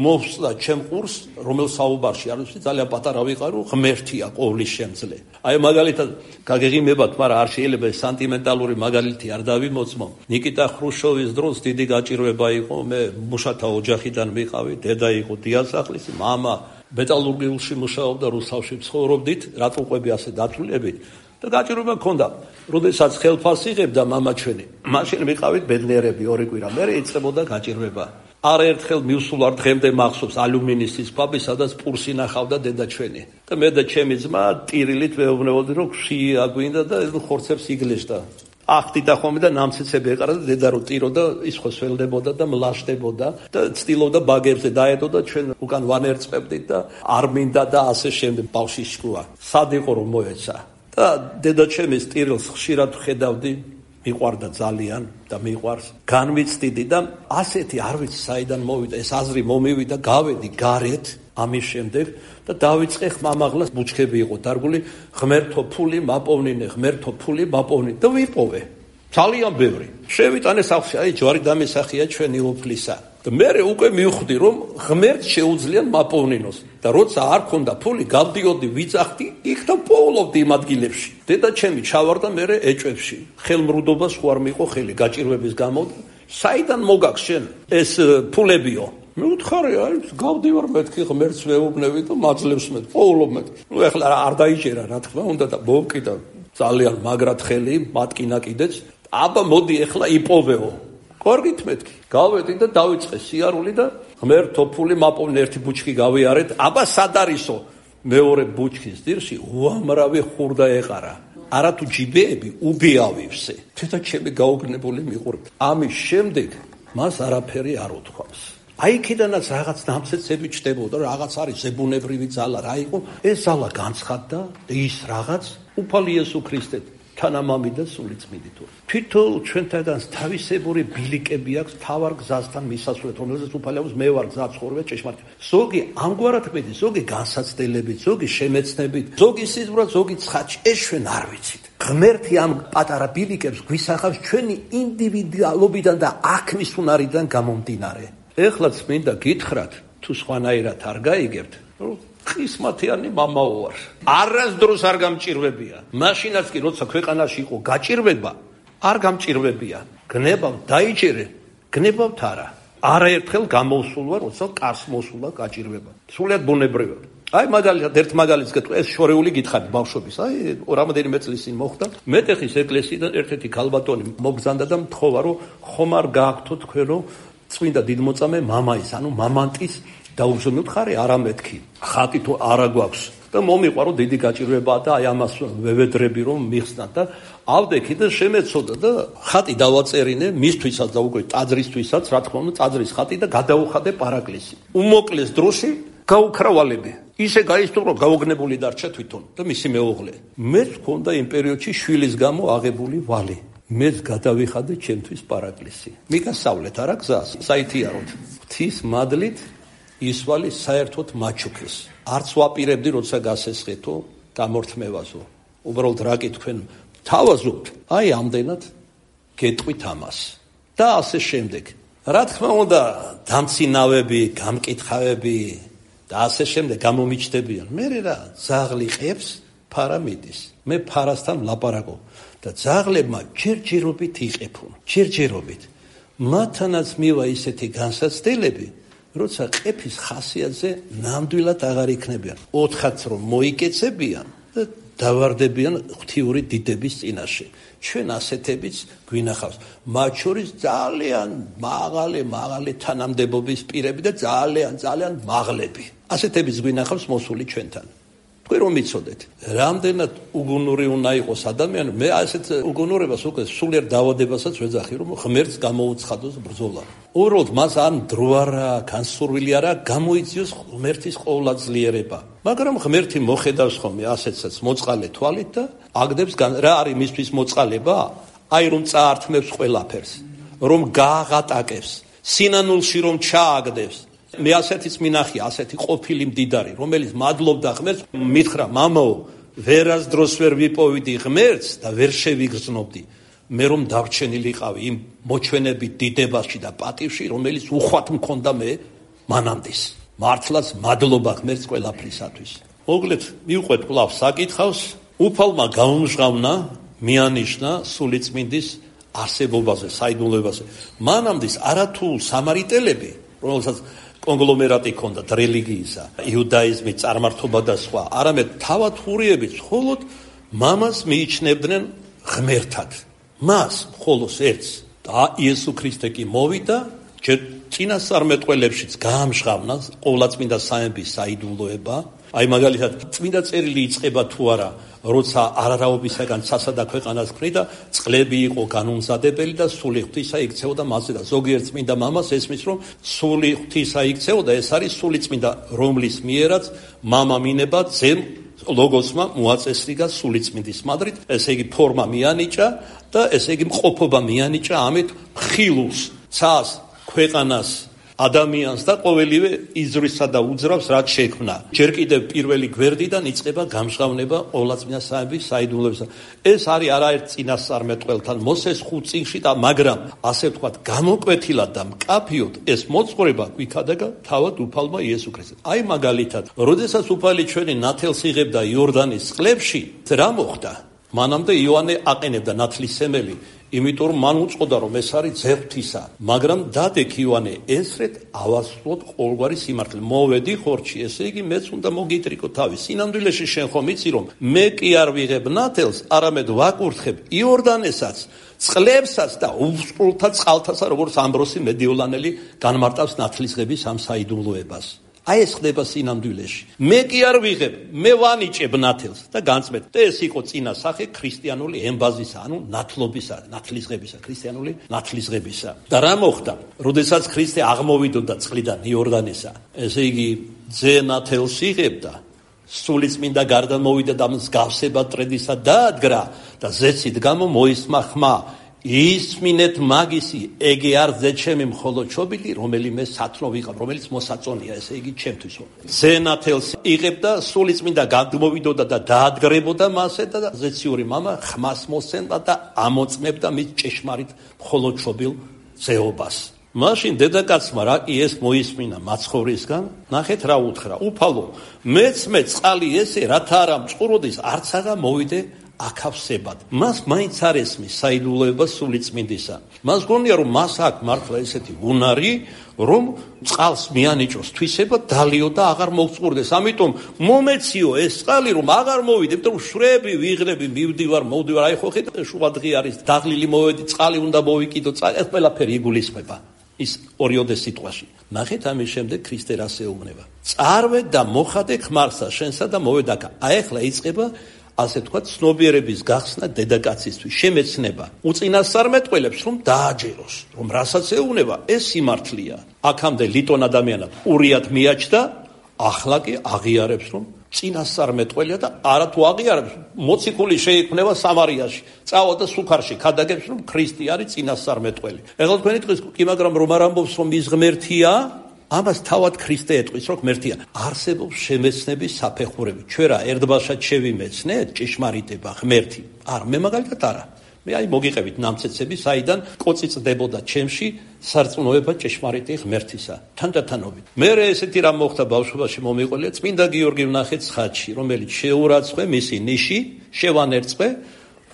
მოვსწდა ჩემ ყურს, რომელ საუბარში არ ვიცი, ძალიან პატარა ვიყარო, ღმერთია ყოვლის შემძლე. აი მაგალითად გაგეღიმებათ, მაგრამ არ შეიძლება ეს სენტიმენტალური მაგალითი არ დავიმოწმო. ნიკიტა ხრუშჩოვის დროს დიდი გაჭირვება იყო, მე მუშათა ოჯახიდან ვიყავი, დედა იყო დიასახლისი, მამა მეტალურგიულში მუშაობდა, რუსთავში ცხოვრობდით, რატყუყვები ასე დათვლილებით. და გაჭირვება მქონდა. როდესაც ხელფასს იღებდა მამა ჩვენი, მაშინ ვიყავით ბედნიერები ორი კვირა, მერე იწყებოდა გაჭირვება. არაერთხელ მივსულარ დღემდე მახსოვს ალუმინის სისხლები, სადაც პურს ინახავდა დედა ჩვენი. და მე და ჩემი ძმა ტირილით ვეუბნებოდი, რომ შვია გვინდა და ეს ხორცებს იგლეშდა. ახდიდა ხოლმე და ნამცეცები ეყარა და დედა რო ტიროდა, ის ხო სველდებოდა და მლაშდებოდა და ცდილობდა ბაგებზე დაედო და ჩვენ უკან ვანერწებდით და არ მინდა და ასე შემდეგ ბავში შკუა. სად იყო რომ მოეცა? და დედა ჩემის ტირილს ხშირად ხედავდი, მიყვარდა ძალიან და მიყვარს. განვიცდიდი და ასეთი არ ვიცი საიდან მოვიდა, ეს აზრი მომივიდა, გავედი გარეთ ამის შემდეგ და დავიწყე ხმამაღლას ბუჩქები იყო დარგული, ღმერთო ფული მაპოვნინე, ღმერთო ფული მაპოვნინე და ვიპოვე. ძალიან ბევრი. შევიტანე სახლში, აი ჯვარი დამესახია ჩვენი უფლისა. და მე უკვე მივხვდი რომ ღმერთს შეუძლია მაპოვნინოს და როცა არ ქონდა ფული გავდიოდი ვიწახდი იქ და პოულობდი იმ ადგილებში. დედა ჩემი ჩავარდა მე ეჭვებში. ხელმრუდობას ხო არ მიიღო ხელი გაჭირვების გამო. საიდან მოგაქვს შენ ეს ფულებიო? მე უთხარი, აი გავდივარ მეთქი ღმერთს ვეუბნები და მაძლევს მე პოულობ მე. ნუ ეხლა არ დაიჭერა რა თქმა უნდა და მოვკიდა ძალიან მაგრად ხელი მატკინა კიდეც. აბა მოდი ეხლა იპოვეო. გორგით მეთქი. გავედი და დავიწყე სიარული და ღმერთო ფული მაპოვნე ერთი ბუჩქი გავიარეთ. აბა სად არისო? მეორე ბუჩქის ძირში უამრავი ხურდა ეყარა. არათუ ჯიბეები უბიავივსე. თეთა ჩემი გაოგნებული მიყურებთ. ამის შემდეგ მას არაფერი არ უთქვამს. აი იქიდანაც რაღაც ნამცეცები ჩდებოდა, რაღაც არის ზებუნებრივი ძალა, რა იყო? ეს ძალა განცხადდა ის რაღაც უფალი იესო ქრისტე თანამამი და სულიწმიდით. თვითონ ჩვენთაგან თავისებური ბილიკები აქვს თავარ გზასთან მისასვლელად, რომელზეც უფალებს მე ვარ გზა ცხოვრება ჭეშმარიტ. ზოგი ამგვარად ყვედი, ზოგი განსაცდელებით, ზოგი შემეცნებით, ზოგი სიზმრად, ზოგი ცხადში. ეს ჩვენ არ ვიცით. ღმერთი ამ პატარა ბილიკებს გვისახავს ჩვენი ინდივიდუალობიდან და აქმის უნარიდან გამომდინარე. ეხლაც მინდა გითხრათ, თუ სხვანაირად არ გაიგებთ, ხისმათიანი მამაო ვარ. არასდროს არ გამჭირვებია. მაშინაც კი როცა ქვეყანაში იყო გაჭირვება, არ გამჭირვებია. გნებავ დაიჭერე, გნებავთ არა. არაერთხელ გამოსულ ვარ, როცა კარს მოსულა გაჭირვება. სულად ბუნებრივად. აი მაგალითად ერთ მაგალითს გეტყვი, ეს შორეული გითხარი ბავშვობის. აი რამოდენიმე წლის წინ მოხდა. მეტეხის ეკლესიიდან ერთ-ერთი ქალბატონი მოგზანდა და მთხოვა, რომ ხომ არ გააქვთო თქვენო წმინდა დიდმოწამე მამაის, ანუ მამანტის დაუგზავნოთ ხარი არამეთქი. ხატი თუ არა გვაქვს და მომიყვარო დიდი გაჭირვებაა და აი ამას ვევედრები რომ მიხსნათ და ავდექი და შემეცოდა და ხატი დავაწერინე მისთვისაც და უკვე ტაძრისთვისაც, რა თქმა უნდა, ტაძრის ხატი და გადაუხადე პარაკლისი. უმოკლეს დროში გაუქრავალები. ისე გაისწრო რომ გაოგნებული დარჩა თვითონ და მისი მეუღლე. მეც მქონდა იმ პერიოდში შვილის გამო აღებული ვალი. მეც გადავიხადე ჩემთვის პარაკლისი. მიგასავლეთ არა გზას, საითიაროთ. ღვთის მადლით ისვალი საერთოდ მაჩუქეს. არც ვაპირებდი როცა გასესხეთო გამორთმევაზო. უბრალოდ რა კი თქვენ თავაზობთ, აი ამდენად გეტყვით ამას. და ასე შემდეგ. რა თქმა უნდა, დამცინავები, გამკითხავები და ასე შემდეგ გამომიჩნდებიან. მე რა ძაღლი ყებს, ფარა მიდის. მე ფარასთან ლაპარაკობ და ძაღლებმა ჯერჯერობით იყეფონ. ჯერჯერობით. მათთანაც მივა ისეთი განსაცდელები, როცა ყეფის ხასიათზე ნამდვილად აღარ იქნებიან. ოთხაც რომ მოიკეცებიან და დავარდებიან ღვთიური დიდების წინაშე. ჩვენ ასეთებიც გვინახავს. მათ შორის ძალიან მაღალი, მაღალი თანამდებობის პირები და ძალიან, ძალიან მაღლები. ასეთებიც გვინახავს მოსული ჩვენთან. თქვენ რომ იცოდეთ, რამდენად უგუნური უნდა იყოს ადამიანი, მე ასეთ უგუნურებას უკვე სულიერ დაავადებასაც ვეძახი, რომ ღმერთს გამოუცხადოს ბრძოლა. უბრალოდ მას ან დრო არა, განსურვილი არა, გამოიწვიოს ღმერთის ყოვლადძლიერება. მაგრამ ღმერთი მოხედავს ხოლმე ასეთსაც მოწყალე თვალით და აგდებს რა არის მისთვის მოწყალება? აი რომ წაართმევს ყველაფერს, რომ გააღატაკებს, სინანულში რომ ჩააგდებს. მე ასეთიც მინახია, ასეთი ყოფილი მდიდარი, რომელიც მადლობდა ღმერთს, მითხრა, მამაო, ვერას დროს ვერ ვიპოვიდი ღმერთს და ვერ შევიგრძნობდი. მე რომ დარჩენილიყავი იმ მოჩვენებით დიდებაში და პატივში, რომელიც უხვად მქონდა მე მანამდის. მართლაც მადლობა ღმერთს ყველაფრისათვის. მოგლეთ, მივყვეთ კვლავ საკითხავს, უფალმა გაუმჟღავნა, მიანიშნა სულიწმინდის არსებობაზე, საიდუმლოებაზე. მანამდის არათუ სამარიტელები, რომელსაც კონგლომერატი ჰქონდა რელიგიისა, იუდაიზმი, წარმართობა და სხვა, არამედ თავად ჰურიებიც მხოლოდ მამას მიიჩნევდნენ ღმერთად. მას მხოლოდ ერთს და იესო ქრისტე კი მოვიდა, ჯერ წინასწარმეტყველებშიც გაამჟღავნა ყოვლადწმინდა სამების საიდუმლოება. აი მაგალითად, წმინდა წერილი იწყება თუ არა, როცა არარაობისაგან ცასა და ქვეყანას ქმნიდა, წყლები იყო განუმზადებელი და სული ღვთისა იქცეოდა მასზე და ზოგიერთ წმინდა მამას ესმის, რომ სული ღვთისა იქცეოდა, ეს არის სული წმინდა, რომლის მიერაც მამა მინება ძემ ლოგოსმა მოაწესრიგა სული წმინდის მადრით, ესე იგი ფორმა მიანიჭა და ესე იგი მყოფობა მიანიჭა ამით ხილულს, ცას, ქვეყანას, ადამიანს და ყოველივე იზრვისა და უძრავს რაც შექმნა. ჯერ კიდევ პირველი გვერდიდან იწყება გამჟღავნება ყოვლადწმინდა სამების საიდუმლოებისა. ეს არის არაერთ წინასწარმეტყველთან მოსეს ხუთ წიგნში და მაგრამ ასე ვთქვათ, გამოკვეთილად და მკაფიოდ ეს მოწყურება გვიქადაგა თავად უფალმა იესო ქრისტეს. აი მაგალითად, როდესაც უფალი ჩვენი ნათელს იღებდა იორდანის წყლებში, რა მოხდა? მანამდე იოანე აყენებდა ნათლისმელი, იმიტომ რომ მან უწყოდა რომ ეს არის ძე ღვთისა, მაგრამ დადექ იოანე ესრეთ ავასრულოთ ყოველგვარი სიმართლე. მოვედი ხორჩი, ესე იგი მეც უნდა მოგიტრიკო თავი. სინამდვილეში შენ ხომ იცი რომ მე კი არ ვიღებ ნათელს, არამედ ვაკურთხებ იორდანესაც, წყლებსაც და უსწრულთა წყალთასა, როგორც ამბროსი მედიოლანელი განმარტავს ნათლისღების ამ საიდუმლოებას. აი ეს ხდება სინამდვილეში. მე კი არ ვიღებ, მე ვანიჭებ ნათელს და განწმეთ. და ეს იყო წინა სახე ქრისტიანული ემბაზისა, ანუ ნათლობისა, ნათლისღებისა, ქრისტიანული ნათლისღებისა. და რა მოხდა? როდესაც ქრისტე აღმოვიდოდა წყლიდან იორდანესა, ესე იგი ძე ნათელს იღებდა, სულიწმინდა გარდა მოვიდა და მსგავსება ტრედისა დაადგრა და ზეცით გამო მოისმა ხმა. ისმინეთ მაგისი, ეგე არ ძე ჩემი მხოლოდ ჩობილი, რომელიმე სათნო ვიყავ, რომელიც მოსაწონია, ესე იგი ჩემთვის. ძე ნათელს იღებდა, სულიწმინდა გადმოვიდოდა და დაადგრებოდა მასე და ზეციური მამა ხმას მოსცემდა და ამოწმებდა მის ჭეშმარიტ მხოლოდ ჩობილ ძეობას. მაშინ დედაკაცმა რა კი ეს მოისმინა მაცხოვრისგან, ნახეთ რა უთხრა, უფალო, მეც მე წყალი ესე, რათა არა მწყუროდეს, არც აღა მოვიდე აქავსებად. მას მაინც არ ესმის საიდუმლოება სულიწმინდისა. მას გონია რომ მას აქვს მართლა ესეთი უნარი, რომ წყალს მიანიჭოს თვისება დალიო და აღარ მოვწყურდეს. ამიტომ მომეციო ეს წყალი რომ აღარ მოვიდე, იმიტომ რომ შვრები, ვიღრები, მივდივარ, მოვდივარ, აი ხო ხედავ შუა დღე არის, დაღლილი მოვედი, წყალი უნდა მოვიკიდო, წყალი ეს ყველაფერი იგულისხმება. ის ორიოდე სიტყვაში. ნახეთ ამის შემდეგ ქრისტე რას ეუბნება. წარვე და მოხადე ხმარსა შენსა და მოვედაკა. აი ახლა იწყება ასე თქვა ცნობიერების გახსნა დედაკაცისთვის, შემეცნება უწინასწარმეტყველებს რომ დააჯეროს, რომ რასაც ეუბნება, ეს სიმართლეა. აქამდე ლიტონ ადამიანად ურიად მიაჩნდა, ახლა კი აღიარებს რომ წინასწარმეტყველია და არათუ აღიარებს, მოციქული შეიქმნება სამარიაში, წავა და სუქარში ქადაგებს რომ ქრისტე არის წინასწარმეტყველი. ეხლა თქვენი ტყვის კი მაგრამ რომ არ ამბობს რომ ის ღმერთია, ამას თავად ქრისტე ეტყვის რომ ღმერთია. არსებობს შემეცნების საფეხურები. ჩვენ რა ერთბაშად შევიმეცნეთ ჭეშმარიტება ღმერთი? არ, მე მაგალითად არა. მე აი მოგიყევით ნამცეცები, საიდან კოცი წდებოდა ჩემში სარწმუნოება ჭეშმარიტი ღმერთისა. თანდათანობით. მე ესეთი რამ მოხდა ბავშვობაში მომიყოლია წმინდა გიორგი ვნახეთ ცხადში, რომელიც შეურაცხვე მისი ნიში, შევანერწყვე,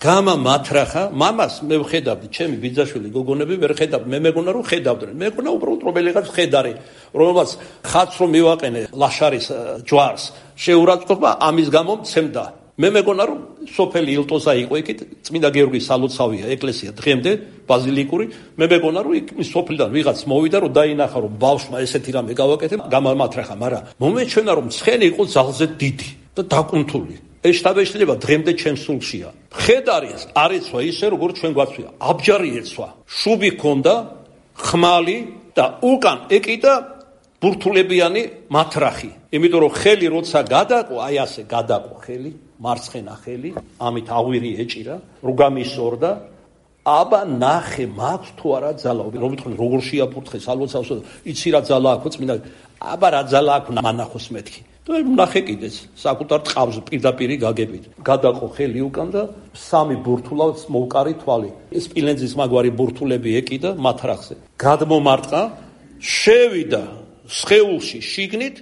გამა მათრახა, მამას მე ვხედავდი, ჩემი ბიძაშვილი გოგონები ვერ ხედავდნენ, მე მეგონა რომ ხედავდნენ. მე მეგონა უბრალოდ რომელიღაც ხედარი, რომელსაც ხატს რომ მივაყენე ლაშარის ჯვარს, შეურაცხყოფა ამის გამო მცემდა. მე მეგონა რომ სოფელი ილტოზა იყო იქით, წმინდა გიორგის სალოცავია ეკლესია დღემდე ბაზილიკური, მე მეგონა რომ იქ სოფლიდან ვიღაც მოვიდა რომ დაინახა რომ ბავშვმა ესეთი რამე გავაკეთე, გამამათრახა, მაგრამ მომეჩვენა რომ ცხენი იყო ძალზე დიდი. და დაკუნთული. ეს შთაბეჭდილება დღემდე ჩემს სულშია. ხედარი არ ეცვა ისე როგორც ჩვენ გვაცვია. აბჯარი ეცვა. შუბი ჰქონდა, ხმალი და უკან ეკიდა ბურთულებიანი მათრახი. იმიტომ რომ ხელი როცა გადაყო, აი ასე გადაყო ხელი, მარცხენა ხელი, ამით აღვირი ეჭირა, როგამისორდა. აბა ნახე მაქვს თუ არა ძალა. რომ ვიტყვი როგორ შეაფურთხე სალოცავს, იცი რა ძალა აქვს წმინდა. აბა რა ძალა აქვს მანახოს მეთქი. და ნახე კიდეც საკუთარ ტყავს პირდაპირი გაგებით. გადაყო ხელი უკან და სამი ბურთულავს მოვკარი თვალი. ეს სპილენძის მაგვარი ბურთულები ეკიდა მათრახზე. გადმომარტყა, შევიდა სხეულში შიგნით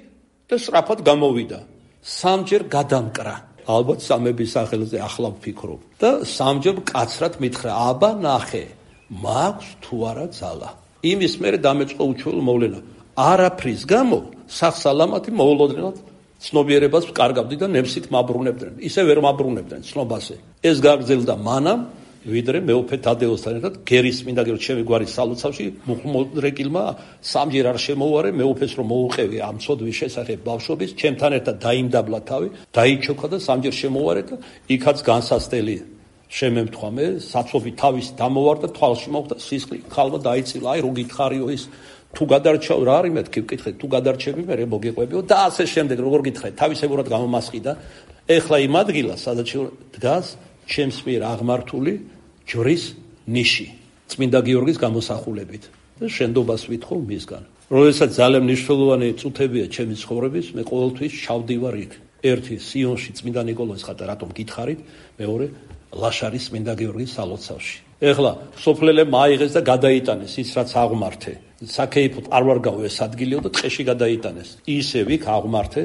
და სწრაფად გამოვიდა. სამჯერ გადამკრა. ალბათ სამების სახელზე ახლა ვფიქრობ. და სამჯერ კაცრად მითხრა, აბა ნახე, მაქვს თუ არა ძალა. იმის მერე დამეწყო უჩვეულო მოვლენა. არაფრის გამო სახსალამათი მოულოდნელად ცნობიერებას ვკარგავდი და ნემსით მაბრუნებდნენ. ისე ვერ მაბრუნებდნენ ცნობაზე. ეს გაგრძელდა მანამ, ვიდრე მეუფე თადეოსთან ერთად გერის მინდა გერო ჩემი გვარის სალოცავში მუხმოდრეკილმა სამჯერ არ შემოუარე მეუფეს რომ მოუყევი ამ ცოდვის შესახებ ბავშვობის, ჩემთან ერთად დაიმდაბლა თავი, დაიჩოქა და სამჯერ შემოუარე და იქაც განსასწრელი შემემთხვა მე, საცობი თავის დამოვარ და თვალში მოხვდა სისხლი, ხალვა დაიცილა, აი რო გითხარიო ის თუ გადარჩავ რა არის მეთქი ვკითხე თუ გადარჩები მე მოგეყვებიო და ასე შემდეგ როგორ გითხრე თავისებურად გამომასყიდა ეხლა იმ ადგილას სადაც დგას ჩემს მიერ აღმართული ჯვრის ნიში წმინდა გიორგის გამოსახულებით და შენდობას ვითხოვ მისგან როდესაც ძალიან მნიშვნელოვანი წუთებია ჩემი ცხოვრების მე ყოველთვის ჩავდივარ იქ ერთი სიონში წმინდა ნიკოლოზის ხატა რატომ გითხარით მეორე ლაშარის წმინდა გიორგის სალოცავში ეხლა სოფლელებმა აიღეს და გადაიტანეს ის რაც აღმართე საკეიფოდ არ ვარ გავ ეს ადგილიო და ტყეში გადაიტანეს ისევ იქ აღმართე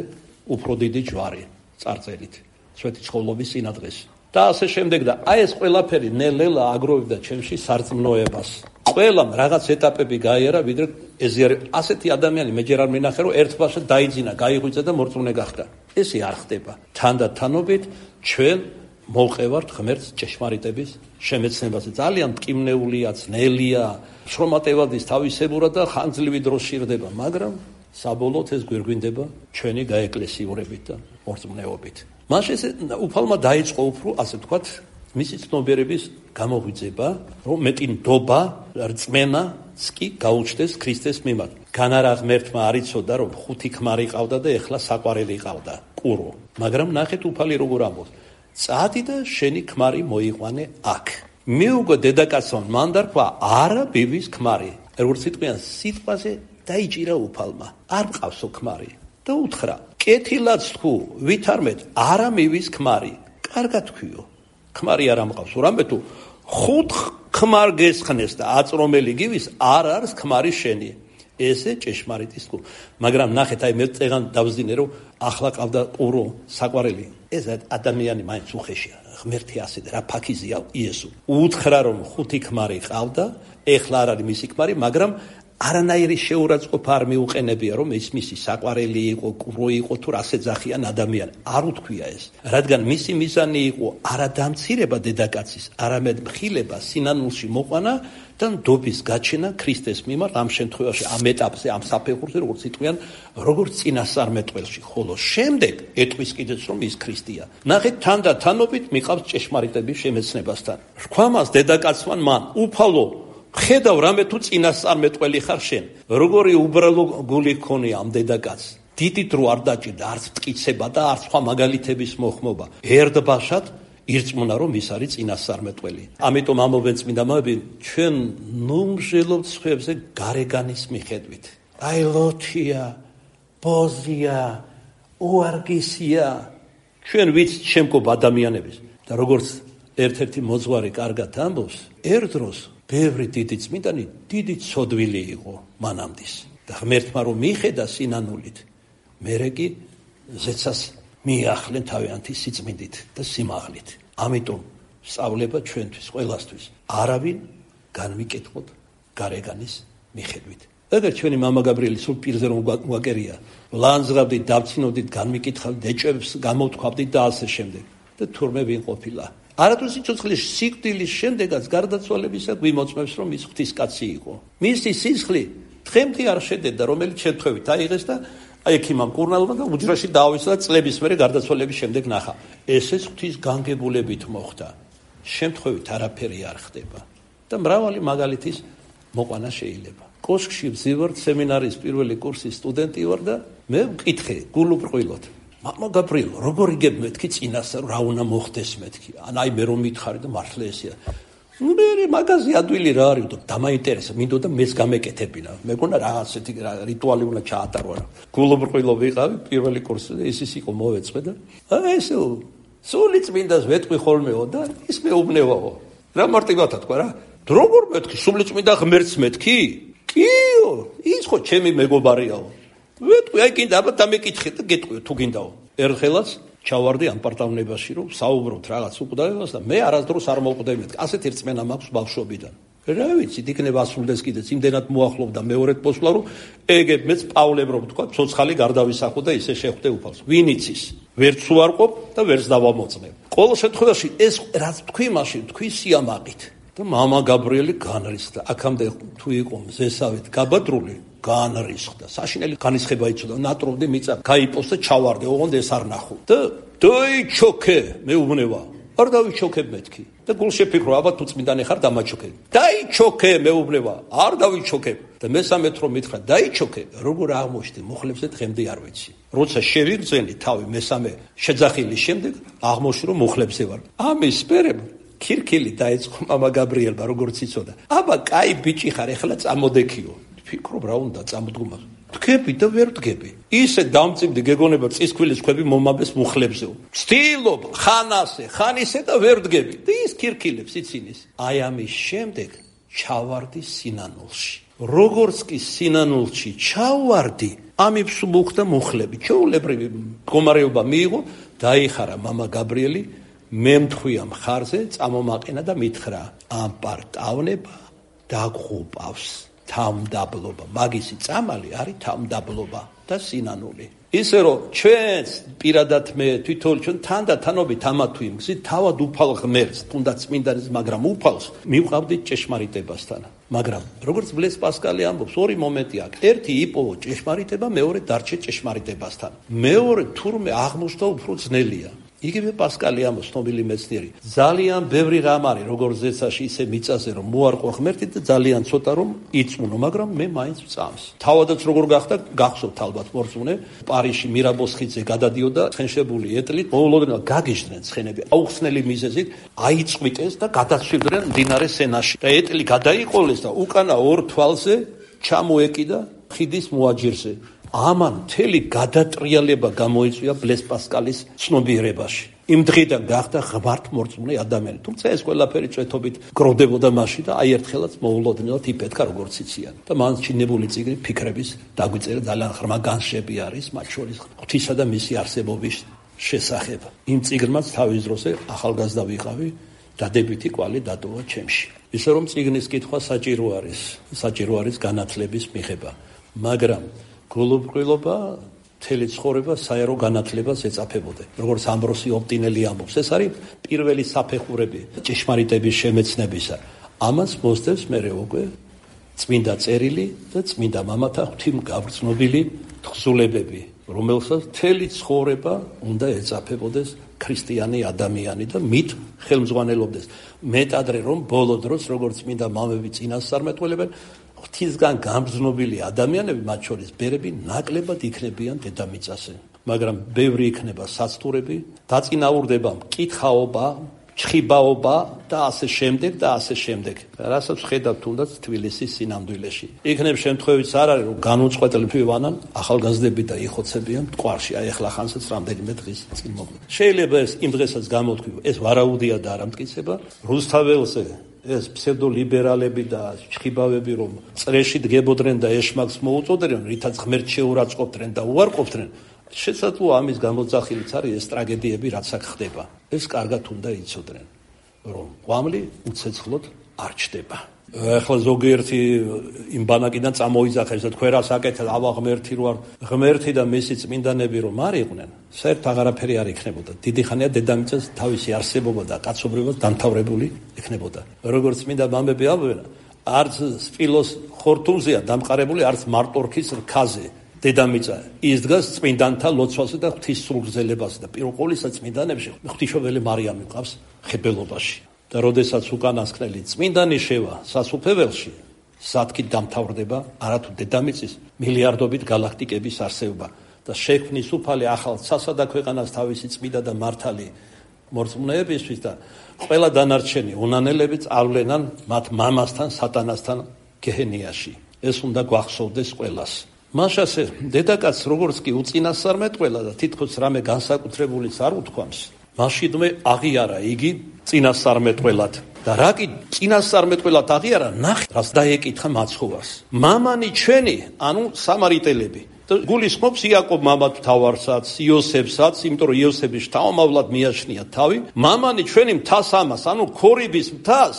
უფრო დიდი ჯვარი წარწერით სვეტი ცხოვრების წინადღეს და ასე შემდეგ და აი ეს ყველაფერი ნელ-ნელა აგროვებდა ჩემში სარწმუნოებას ყველამ რაღაც ეტაპები გაიარა ვიდრე ეზიარე ასეთი ადამიანი მე ჯერ არ მინახე რომ ერთბაშად დაიძინა გაიღვიძა და მორწმუნე გახდა ესე არ ხდება თანდათანობით ჩვენ მოვყევართ ღმერთს ჭეშმარიტების შემეცნებაზე ძალიან მტკივნეულია ძნელია შრომატევადის თავისებურად და ხანძლივი დრო სჭირდება მაგრამ საბოლოოდ ეს გვირგვინდება ჩვენი გაეკლესიურებით და მორწმუნეობით მაშინ ეს უფალმა დაიწყო უფრო ასე ვთქვათ მისი ცნობიერების გამოღვიძება რომ მეტი ნდობა რწმენა კი გაუჩნდეს ქრისტეს მიმართ განარა ღმერთმა არ იცოდა რომ ხუთი ქმარი ყავდა და ეხლა საყვარელი ყავდა ყურო მაგრამ ნახეთ უფალი როგორ ამბობს წადი და შენი ქმარი მოიყვანე აქ მიუგო დედაკაცმა მან დარქვა არა ბიბის ქმარი როგორც სიტყვიან სიტყვაზე დაიჭირა უფალმა არ მყავსო ქმარი და უთხრა კეთილად თქვ ვითარმეთ არა მივის ქმარი კარგად თქვიო ქმარი არ ამყავსო რამე თუ ხუთ ქმარ გესხნეს და აწრომელი გივის არ არის ქმარი შენი ესე ჭეშმარიტი თქვ მაგრამ ნახეთ აი მე წეგან დავზინე რომ ახლა ყავდა ყურო საყვარელი ეს ადამიანი მაინც უხეშია ღმერთი ასე და რა ფაქიზია იესო უთხრა რომ ხუთი ქმარი ყავდა ეხლა არ არის მისი ქმარი მაგრამ არანაირი შეურაცხყოფა არ მიუყენებია რომ ის მისი საყვარელი იყო ყურო იყო თუ რასე ძახიან ადამიანი არ უთქვია ეს რადგან მისი მიზანი იყო არა დამცირება დედაკაცის არამედ მხილება სინანულში მოყვანა და ნდობის გაჩენა ქრისტეს მიმართ ამ შემთხვევაში ამ ეტაპზე ამ საფეხურზე როგორც იტყვიან როგორც წინასწარმეტყველში ხოლო შემდეგ ეტყვის კიდეც რომ ის ქრისტეა ნახეთ თანდათანობით მიყავს ჭეშმარიტების შემეცნებასთან რქვამას დედაკაცმან მან უფალო ხედავ რამე თუ წინასწარმეტყველი ხარ შენ როგორი უბრალო გული ქონია ამ დედაკაცს დიდი დრო არ დაჭირდა არც მტკიცება და არც სხვა მაგალითების მოხმობა ერთბაშად ირწმუნა რომ ის არის წინასწარმეტყველი ამიტომ ამობენ წმინდა მამები ჩვენ ნუმჟელობთ სხვებზე გარეგანის მიხედვით აი ლოთია ბოზია უარგისია ჩვენ ვიც შემკობ ადამიანების და როგორც ერთ-ერთი მოძღვარი კარგად ამბობს ერთ დროს ბევრი დიდი წმინდანი დიდი ცოდვილი იყო მანამდის და ღმერთმა რომ მიხედა სინანულით მერე კი ზეცას მიახლენ თავიანთი სიწმინდით და სიმაღლით ამიტომ სწავლება ჩვენთვის ყველასთვის არავინ განვიკითხოთ გარეგანის მიხედვით ეგერ ჩვენი მამა გაბრიელი სულ პირზე რომ გვაკერია ლანძღავდით დავცინოდით განვიკითხავდით ეჭვებს გამოვთქვავდით და ასე შემდეგ და თურმე ვინ ყოფილა არათუ სიცოცხლის სიკვდილის შემდეგაც გარდაცვალებისა გვიმოწმებს რომ ის ღვთისკაცი იყო მისი სისხლი დღემდე არ შედევდა რომელიც შემთხვევით აიღეს და აი ექიმამ კურნალობა და უჯრაში დაავისა და წლების მერე გარდაცვალების შემდეგ ნახა. ესეც ღვთის განგებულებით მოხდა. შემთხვევით არაფერი არ ხდება და მრავალი მაგალითის მოყვანა შეიძლება. კოშკში ვზივარ, სემინარის პირველი კურსის სტუდენტი ვარ და მე ვკითხე გულუბრყვილოდ. მამა გაბრიელ, როგორ იგებ მეთქი წინასწარ რა უნდა მოხდეს მეთქი. ან აი მე რომ მითხარი და მართლა ესეა. მე მაგაზე ადვილი რა არის და დამაინტერესა, მინდოდა მეც გამეკეთებინა. მეგონა რა ასეთი რიტუალი უნდა ჩაატარო რა. გულუბრყვილო ვიყავი პირველი კურსი და ის ის იყო მოვეწყვე და აი ესე სული წმინდას ვეტყვი ხოლმეო და ის მეუბნევაო. რა მარტივათა თქვა რა. როგორ მეთქი სული წმინდა ღმერთს მეთქი? კიო, ის ხო ჩემი მეგობარიაო. ვეტყვი აი კიდე აბა დამეკითხე და გეტყვიო თუ გინდაო. ერთხელაც ჩავარდი ამ პარტავნებაში რომ საუბრობთ რაღაც უკვდავებას და მე არასდროს არ მოვკვდები მეთქი. ასეთი რწმენა მაქვს ბავშვობიდან. რა ვიცი, იქნება ასრულდეს კიდეც იმდენად მოახლოვდა მეორედ მოსვლა რომ ეგებ მეც პავლემ რომ თქვა, ცოცხალი გარდავისახო და ისე შეხვდე უფალს. ვინ იცის? ვერც უარყოფ და ვერც დავამოწმებ. ყოველ შემთხვევაში ეს რაც თქვი მაშინ თქვი სიამაყით. და მამა გაბრიელი განრისხდა. აქამდე თუ იყო მზესავით გაბადრული, განრისხდა. საშინელი განისხება იცოდა, ნატროვდი მიწა, გაიპოს და ჩავარდე, ოღონდ ეს არ ნახო. და დაიჩოქე, მეუბნება. არ დავიჩოქებ მეთქი. და გულშეფიქრო, აბა თუ წმინდანი ხარ დამაჩოქე. დაიჩოქე, მეუბნება. არ დავიჩოქებ. და მესამეთ რომ მითხრა, დაიჩოქე, როგორ აღმოჩნდი მუხლებზე დღემდე არ ვიცი. როცა შევიგრძენი თავი მესამე შეძახილის შემდეგ, აღმოჩნდი რომ მუხლებზე ვარ. ამის მერე ქირქილი დაეწყო მამა გაბრიელმა, როგორც იცოდა. აბა, კაი ბიჭი ხარ, ეხლა წამოდექიო. ფიქრობ რა უნდა წამოდგომა. დგები და ვერ დგები. ისე დამწიფდი გეგონება წისქვილის ქვები მომაბეს მუხლებზეო. ვცდილობ ხან ასე, ხან ისე და ვერ დგები. და ის ქირქილებს ციცინის. აი ამის შემდეგ ჩავარდი სინანულში. როგორც კი სინანულში ჩავარდი, ამებს მოხდა მუხლები. ჩვეულებრივი მდგომარეობა მიიღო, დაიხარა მამა გაბრიელი. მე მთხვია მხარზე, წამომაყენა და მითხრა, ამ პარტავნება დაგღუპავს თავმდაბლობა. მაგისი წამალი არის თავმდაბლობა და სინანული. ისე რომ ჩვენს პირადად მე თვითონ ჩვენ თანდათანობით ამათ თუ იმგზით თავად უფალ ღმერთს, თუნდაც წმინდანის, მაგრამ უფალს მივყავდით ჭეშმარიტებასთან. მაგრამ როგორც ბლეს პასკალი ამბობს, ორი მომენტი აქვს. ერთი იპოვო ჭეშმარიტება, მეორე დარჩე ჭეშმარიტებასთან. მეორე თურმე აღმოჩნდა უფრო ძნელია. იგივე პასკალი ამბობს, ცნობილი მეცნიერი. ძალიან ბევრი რამ არის, როგორც ზეცაში, ისე მიწაზე, რომ მოარყვა ღმერთი და ძალიან ცოტა რომ იწმუნო, მაგრამ მე მაინც ვწამს. თავადაც როგორ გახდა, გახსოვთ ალბათ მორწმუნე, პარიზში მირაბოს ხიდზე გადადიოდა ცხენშებული ეტლით, მოულოდნელად გაგიჟდნენ ცხენები, აუხსნელი მიზეზით, აიწყვიტეს და გადაცვლიდნენ მდინარე სენაში. და ეტლი გადაიყოლეს და უკანა ორ თვალზე ჩამოეკიდა ხიდის მოაჯირზე. ამან მთელი გადატრიალება გამოიწვია ბლეს პასკალის ცნობიერებაში. იმ დღიდან გახდა ღმართმორწმუნე ადამიანი. თუმცა ეს ყველაფერი წვეთობით გროვდებოდა მაშინ და აი ერთხელაც მოულოდნელად იფეთქა როგორც იციან. და მან ჩინებული წიგნი ფიქრების დაგვიწერა, ძალიან ღრმა განშები არის, მათ შორის ღვთისა და მისი არსებობის შესახებ. იმ წიგნმაც თავის დროზე ახალგაზრდა ვიყავი, დადებითი კვალი დატოვა ჩემში. ისე რომ წიგნის კითხვა საჭირო არის, საჭირო არის განათლების მიღება. მაგრამ გულუბრყვილობა მთელი ცხოვრება საერო განათლებას ეწაფებოდა. როგორც ამბროსი ოპტინელი ამბობს, ეს არის პირველი საფეხურები ჭეშმარიტების შემეცნებისა. ამას მოსდევს მერე უკვე წმინდა წერილი და წმინდა მამათა ღვთისმგაგრძნობილი თხზულებები, რომელსაც მთელი ცხოვრება უნდა ეწაფებოდეს ქრისტიანი ადამიანი და მით ხელმძღვანელობდეს. მეტადრე რომ ბოლო დროს როგორც წმინდა მამები წინასწარმეტყველებენ, ღვთისგან გამგზნობილი ადამიანები, მათ შორის ბერები, ნაკლებად იქნებიან დედამიწაზე. მაგრამ ბევრი იქნება საცდურები, დაწინაურდება მკითხაობა, ჩხიბაობა და ასე შემდეგ და ასე შემდეგ. რასაც ხედავთ თუნდაც თბილისის სინამდვილეში. იქნებ შემთხვევით არ არის, რომ განუწყვეტლები ვანან ახალგაზრდები და იხოცებიან მტკვარში. აი ახლა ხანსაც რამდენიმე დღის წინ მოგვიდა. შეიძლება ეს იმ დღესაც გამოთქვი, ეს ვარაუდია და არ ამტკიცება. რუსთაველზე ეს ფსევდოლიბერალები და ჩხიბავები რომ წრეში დგებოდნენ და ეშმაკს მოუწოდნენ, რითაც ღმერთს შეურაცხყოფდნენ და უარყოფდნენ, შესაძლოა ამის გამოძახილიც არის ეს ტრაგედიები, რაც აქ ხდება. ეს კარგად უნდა იცოდნენ, რომ ყვამლი უცეცხლოდ არ ჩდება. ახლა ზოგიერთი იმ ბანაკიდან წამოიძახეს და თქვენ რას აკეთეთ, ავა ღმერთი რო არ, ღმერთი და მისი წმინდანები რომ არ იყვნენ, საერთოდ აღარაფერი არ იქნებოდა. დიდი ხანია დედამიწას თავისი არსებობა და კაცობრიობა დამთავრებული იქნებოდა. როგორც წმინდა მამები ამბობენ, არც სპილოს ხორთუმზეა დამყარებული, არც მარტორქის რქაზე. დედამიწა ის დგას წმინდანთა ლოცვაზე და ღვთის სულგრძელებაზე და პირველ ყოვლისა წმინდანებში ღვთისმშობელი მარიამი მყავს ხებელობაში და როდესაც უკანასკნელი წმინდანი შევა სასუფეველში სათქით დამთავრდება არათუ დედამიწის მილიარდობით გალაქტიკების არსებობა და შექმნის უფალი ახალ ცასა და ქვეყანას თავისი წმინდა და მართალი მორწმუნეებისთვის და ყველა დანარჩენი უნანელები წავლენან მათ მამასთან სატანასთან გეჰენიაში. ეს უნდა გვახსოვდეს ყველას. მაშასე დედაკაცს როგორც კი უწინასწარმეტყველა და თითქოს რამე განსაკუთრებულიც არ უთქვამს, მაშინვე აღიარა იგი წინასწარმეტყველად. და რა კი წინასწარმეტყველად აღიარა, ნახე, რას დაეკითხა მაცხოვარს. მამანი ჩვენი, ანუ სამარიტელები. გულისხმობს იაკობ მამად მთავარსაც, იოსებსაც, იმიტომ რომ იოსების შთამომავლად მიაჩნია თავი. მამანი ჩვენი მთას ამას, ანუ ქორიბის მთას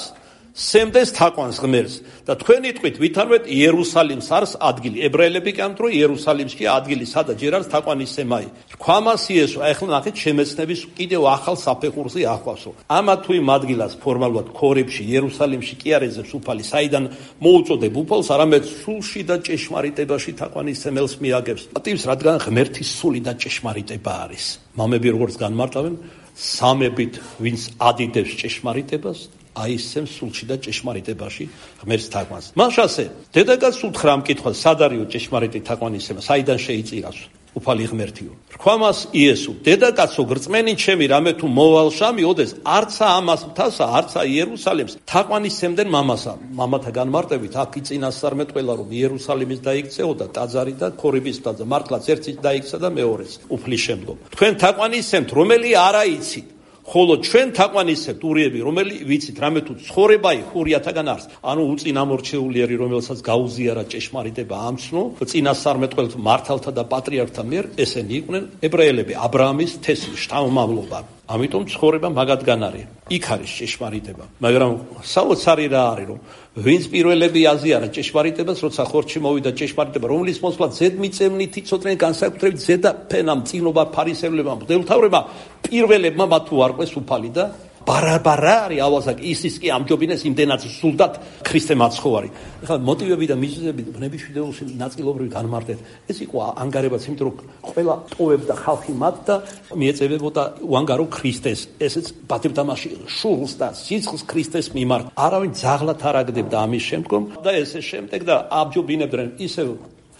სემდეს თაყვანს ღმერთს და თქვენი ტყვით ვითარვეთ იერუსალიმს არის ადგილი. ებრაელები კი ამბობენ, რომ იერუსალიმში ადგილი სადაც ჯერ არის თაყვანის სემაი. რქვამას იესო, ახლა ნახეთ შემეცნების კიდევ ახალ საფეხურზე ახვავსო. ამა თუ იმ ადგილას ფორმალურად ქორიბში, იერუსალიმში კი არ ეძებს უფალი, საიდან მოუწოდებ უფალს, არამედ სულში და ჭეშმარიტებაში თაყვანის სემელს მიაგებს. პატივს, რადგან ღმერთის სული და ჭეშმარიტება არის. მამები როგორც განმარტავენ, სამებით ვინც ადიდებს ჭეშმარიტებას აისცემს სულში და ჭეშმარიტებაში ღმერთს თაყვანს. მაშასე დედაკაცს უთხრა ამ კითხვას, სად არისო ჭეშმარიტი თაყვანისება, საიდან შეიწირავს უფალი ღმერთიო. რქვამას იესო, დედაკაცო გრწმენი ჩემი, რამე თუ მოვალ შამიოდეს, არცა ამას მთასა, არცა იერუსალიმს თაყვანისცემდნენ მამასა. მამათა განმარტებით აქ იწინასწარმეტყველა, რომ იერუსალიმის დაიქცეოდა ტაძარი და ქორიბის ტაძარი, მართლაც ერთიც დაიქცა და მეორეც უფლის შემდგომ. თქვენ თაყვანისცემთ, რომელი არა იცით, ხოლო ჩვენ თაყვანისცემთ ურიები, რომელი ვიცით, რამე თუ ცხოვრებაი ხურიათაგან არის. ანუ უწინამორჩეულიერი, რომელსაც გაუზიარა ჭეშმარიტება ამცნო, წინასწარმეტყველთა მართალთა და პატრიარქთა მიერ, ესენი იყვნენ ებრაელები, აბრაამის თესლი, შთამომავლობა. ამიტომ ცხოვრება მაგათგან არის. იქ არის ჭეშმარიტება. მაგრამ საოცარი რა არის, რომ ვინც პირველები აზიარა ჭეშმარიტებას, როცა ხორცში მოვიდა ჭეშმარიტება, რომლის მოსვლა ზედმიწევნით იცოდნენ განსაკუთრებით ზედაფენამ, წინობა ფარისევლებმა, მღვდელმთავრებმა, პირველებმა მათ უარყვეს უფალი და ბარაბარა არის ავაზაკი, ისიც კი ამჯობინეს იმდენად სულდათ ქრისტე მაცხოვარი. ეხლა მოტივები და მიზეზები ბნების ვიდეოში ნაწილობრივ განმარტეთ. ეს იყო ანგარებაც, იმიტომ რომ ყველა ტოვებდა ხალხი მათ და მიეწევებოდა უანგარო ქრისტეს. ესეც პატივდამაში შულს და სიცხეს ქრისტეს მიმართ. არავინ ძაღლად არ აგდებდა ამის შემდგომ და ესე შემდეგ და ამჯობინებდნენ ისევ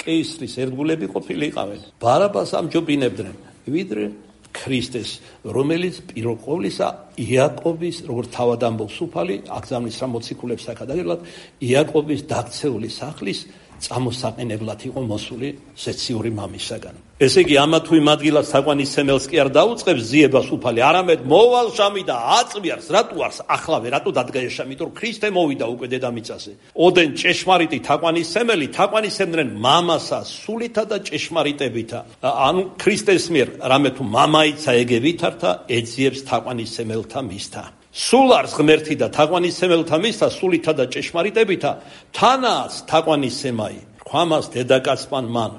კეისრის ერთგულები ყოფილიყავენ. ბარაბას ამჯობინებდნენ, ვიდრე ქრისტეს, რომელიც პირველ ყოვლისა იაკობის, როგორც თავად ამბობს უფალი, აგზავნის რა მოციქულებს საკადაგებლად, იაკობის დაქცეული სახლის წამოსაყენებლად იყო მოსული ზეციური მამისაგან. ესე იგი, ამა თუ იმ ადგილას თაყვანისცემელს კი არ დაუწყებს ზიებას უფალი, არამედ მოვალ შამი და აწვიარს, რატო არს ახლავე, რატო დადგაეშა, იმიტომ რომ ქრისტე მოვიდა უკვე დედამიწაზე. ოდენ ჭეშმარიტი თაყვანისცემელი თაყვანისცემდნენ მამასა სულითა და ჭეშმარიტებითა. ანუ ქრისტეს მიერ, რამე თუ მამაიცა ეგე ვითართა, ეძიებს თაყვანისცემელთა მისთა. სულ არის ღმერთი და თაყვანისცემელთა მისთა სულითა და ჭეშმარიტებითა, თანაც თაყვანისცემაი. რქვამას დედაკაცმა მან,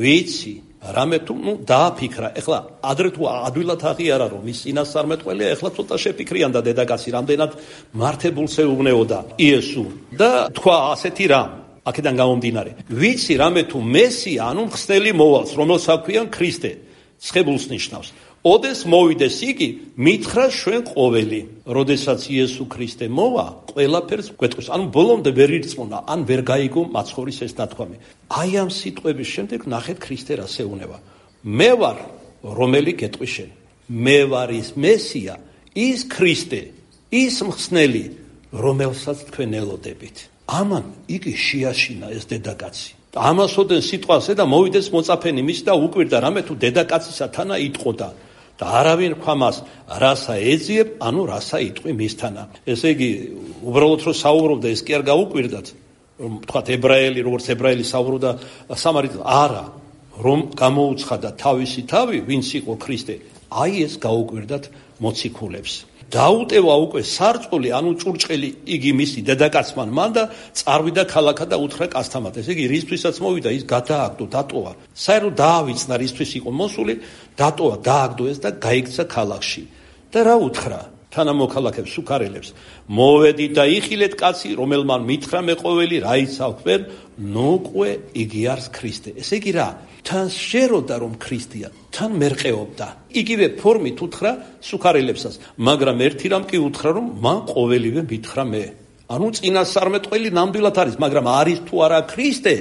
ვიცი, რამე თუ ნუ დააფიქრა. ეხლა ადრე თუ ადვილად აღიარა, რომ ის წინასწარმეტყველია, ეხლა ცოტა შეფიქრიან და დედაკაცი რამდენად მართებულს ეუბნეოდა იესო და თქვა ასეთი რამ. აქედან გამომდინარე, ვიცი რამე თუ მესია, ანუ მხსნელი მოვალს, რომელსაც აქვიან ქრისტე, ცხებულს ნიშნავს. ოდეს მოვიდეს იგი, მითხრა ჩვენ ყოველი. როდესაც იესო ქრისტე მოვა, ყველაფერს გვეტყვის. ანუ ბოლომდე ვერ ირწმუნა, ან ვერ გაიგო მაცხოვრის ეს ნათქვამი. აი ამ სიტყვების შემდეგ ნახეთ ქრისტე რას ეუბნება. მე ვარ, რომელი გეტყვის შენ. მე ვარ ის მესია, ის ქრისტე, ის მხსნელი, რომელსაც თქვენ ელოდებით. ამან იგი შეაშინა ეს დედაკაცი. ამასოდენ სიტყვაზე და მოვიდეს მოწაფენი მის და უკვირდა, რამე თუ დედაკაცისა თანა იტყოდა. და არავინ რქვამას, რასა ეძიებ, ანუ რასა იტყვი მისთანა. ესე იგი, უბრალოდ რომ საუბრობდა, ეს კი არ გაუკვირდათ, რომ თქვათ ებრაელი, როგორც ებრაელი საუბრობდა სამარიტელს, არა, რომ გამოუცხადა თავისი თავი, ვინც იყო ქრისტე, აი ეს გაუკვირდათ მოციქულებს. დაუტევა უკვე სარწყული, ანუ ჭურჭელი იგი მისი დედაკაცმა მან და წარვიდა ქალაქად და უთხრა კასთამად. ესე იგი, რისთვისაც მოვიდა, ის გადააგდო, დატოვა. საერთოდ დაავიწნა, რისთვის იყო მოსული, დატოვა, დააგდო ეს და გაიქცა ქალაქში. და რა უთხრა? თანამოქალაქებს, სუქარელებს, მოვედით და იხილეთ კაცი, რომელმან მითხრა მეყოველი, რა იცავენ, ნოკვე იგი არის ქრისტე. ესე იგი რა, თან შეეროდა რომ ქრისტეა, თან მერყეობდა. იგივე ფორმით უთხრა სუქარელებსაც, მაგრამ ერთი რამ კი უთხრა რომ მან ყოველივე მითხრა მე. ანუ წინასწარმეტყველი ნამდვილად არის, მაგრამ არის თუ არა ქრისტე,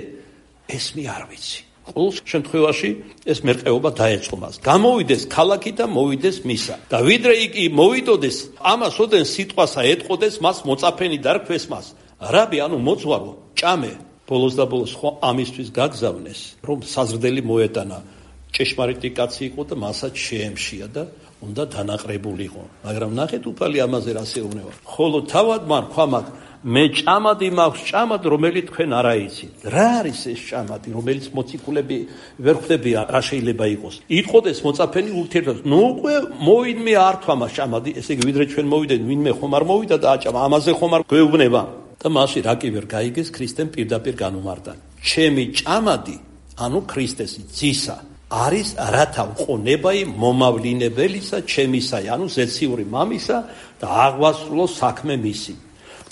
ეს მე არ ვიცი. ყოველ შემთხვევაში ეს მერყეობა დაეწყო მას. გამოვიდეს ქალაქი და მოვიდეს მისა. და ვიდრე იგი მოვიდოდეს, ამას ოდენ სიტყვასა ეტყოდეს მას მოწაფენი დარქვეს მას. რაბი, ანუ მოძღვარო, ჭამე. ბოლოს და ბოლოს ხო ამისთვის გაგზავნეს, რომ საზრდელი მოეტანა. ჭეშმარიტი კაცი იყო და მასაც შეემშია და უნდა დანაყრებულიყო. მაგრამ ნახეთ უფალი ამაზე რა შეეუბნება. ხოლო თავად მან თქვა მათ, მე ჭამადი მაქვს ჭამად, რომელიც თქვენ არ აიცით. რა არის ეს ჭამადი, რომელიც მოციქულები ვერ ხვდებიან, რა შეიძლება იყოს. იტყოდეს მოწაფენი ურთიერთობას, ნუ უკვე მოვიდმე არ თქვა მას ჭამადი, ესე იგი ვიდრე ჩვენ მოვიდეთ, ვინმე ხომ არ მოვიდა და აჭამა, ამაზე ხომ არ გვეუბნება. და მასში რა კი ვერ გაიგეს, ქრისტემ პირდაპირ განუმარტა. ჩემი ჭამადი, ანუ ქრისტესი ძისა არის რათა უყონებაი მომავლინებელისა ჩემისა, ანუ ზეციური მამისა და აღვასრულოს საქმე მისი.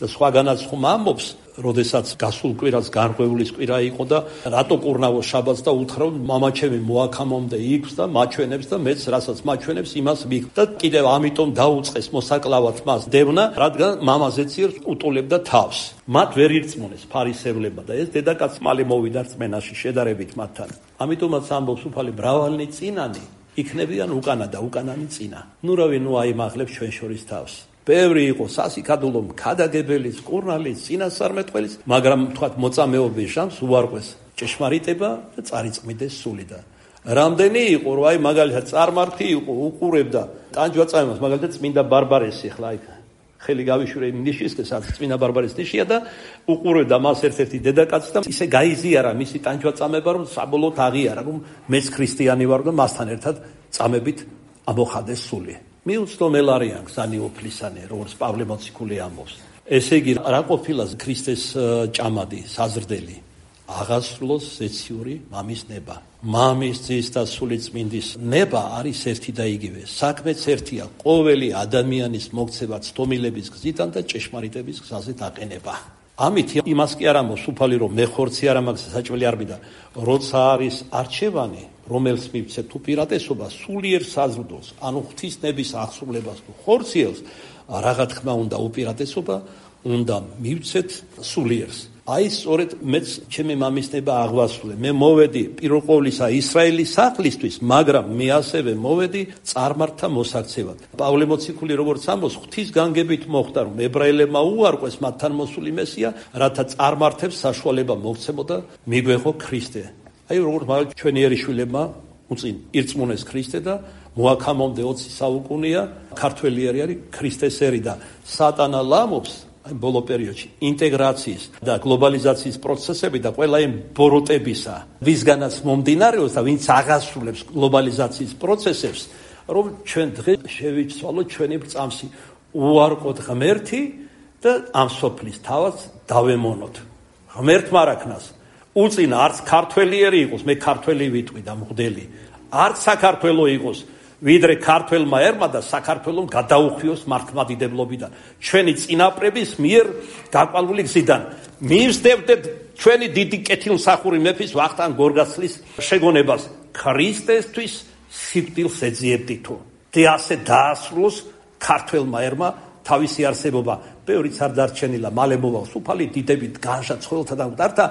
და სხვაგანაც ხომ ამბობს, როდესაც გასულ კვირას გარღვევლის კვირა იყო და რატო კურნავო შაბათს და უთხრა მამაჩემი მოაქამომდე იქს და მაჩვენებს და მეც რასაც მაჩვენებს იმას მიგ და კიდევ ამიტომ დაუწყეს მოსაკლავად მას დევნა, რადგან მამაზეციერს უტოლებდა თავს. მათ ვერ ირწმუნეს ფარისევლებმა და ეს დედაკაც მალე მოვიდა რწმენაში შედარებით მათთან. ამიტომაც ამბობს უფალი, მრავალნი წინანი იქნებიან უკანა და უკანანი წინა. ნუ რავი, ნუ აიმაღლებს ჩვენ შორის თავს. ბევრი იყო სასიკადულო მქადაგებელის, კურნალის, წინასწარმეტყველის, მაგრამ თქვათ მოწამეობის ჟამს უარყვეს ჭეშმარიტება და წარიწმიდეს სულიდან. რამდენი იყო, რომ აი მაგალითად წარმართი იყო, უყურებდა ტანჯვაწამებას, მაგალითად წმინდა ბარბარესი, ხლა აი ხელი გავიშვირე იმ ნიშისკენ, სადაც წმინდა ბარბარეს ნიშია და უყურებდა მას ერთ-ერთი დედაკაცი და ისე გაიზიარა მისი ტანჯვაწამება, რომ საბოლოოდ აღიარა, რომ მეც ქრისტიანი ვარ და მასთან ერთად წამებით ამოხადეს სული. მიუცდომელ არიან გზანი უფლისანი, როგორც პავლე მოციქული ამბობს. ესე იგი, რა ყოფილა ქრისტეს ჭამადი, საზრდელი? აღასრულოს ზეციური მამის ნება. მამის ძის და სულიწმინდის ნება არის ერთი და იგივე. საქმეც ერთია, ყოველი ადამიანის მოქცევა ცდომილების გზიდან და ჭეშმარიტების გზაზე დაყენება. ამით იმას კი არ ამბობს უფალი, რომ მე ხორცი არ ამაგზა საჭმელი არ მიდა, როცა არის არჩევანი, რომელს მივცეთ უპირატესობა სულიერ საზრდოს, ანუ ღვთისნების აღსრულებას თუ ხორციელს, რაღა თქმა უნდა უპირატესობა უნდა მივცეთ სულიერს. აი სწორედ მეც ჩემი მამის ნება აღვასრულე. მე მოვედი პირველ ყოვლისა ისრაელის სახლისთვის, მაგრამ მე ასევე მოვედი წარმართთა მოსაქცევად. პავლე მოციქული როგორც ამბობს, ღვთის განგებით მოხდა, რომ ებრაელებმა უარყვეს მათთან მოსული მესია, რათა წარმართებს საშუალება მოგცემოდა მიგვეღო ქრისტე. აი როგორც მაგალითად ჩვენი ერიშვილებმა უწინ ირწმუნეს ქრისტე და მოაქამომდე ოცი საუკუნეა ქართველი არის ქრისტესერი და სატანა ლამობს აი ბოლო პერიოდში ინტეგრაციის და გლობალიზაციის პროცესები და ყველა იმ ბოროტებისა, ვისგანაც მომდინარეობს და ვინც აღასრულებს გლობალიზაციის პროცესებს, რომ ჩვენ დღეს შევიცვალოთ ჩვენი ბრძამსი, უარყოთ ღმერთი და ამ სოფლის თავად დავემონოთ. ღმერთმა რაკნას უწინ არც ქართველიერი იყოს, მე ქართველი ვიტყვი და მღვდელი, არც საქართველო იყოს, ვიდრე ქართველმა ერმა და საქართველომ გადაუხვიოს მართლმადიდებლობიდან, ჩვენი წინაპრების მიერ გაყვანილი გზიდან. მივსდებდეთ ჩვენი დიდი კეთილმსახური მეფის ვახტანგ გორგასლის შეგონებას, ქრისტესთვის სიკვდილს ეძიებდითო. და ასე დაასრულოს ქართველმა ერმა თავისი არსებობა. ბევრიც არ დარჩენილა, მალე მოვალს უფალი დიდებით განშა ცხოველთა და მკვდართა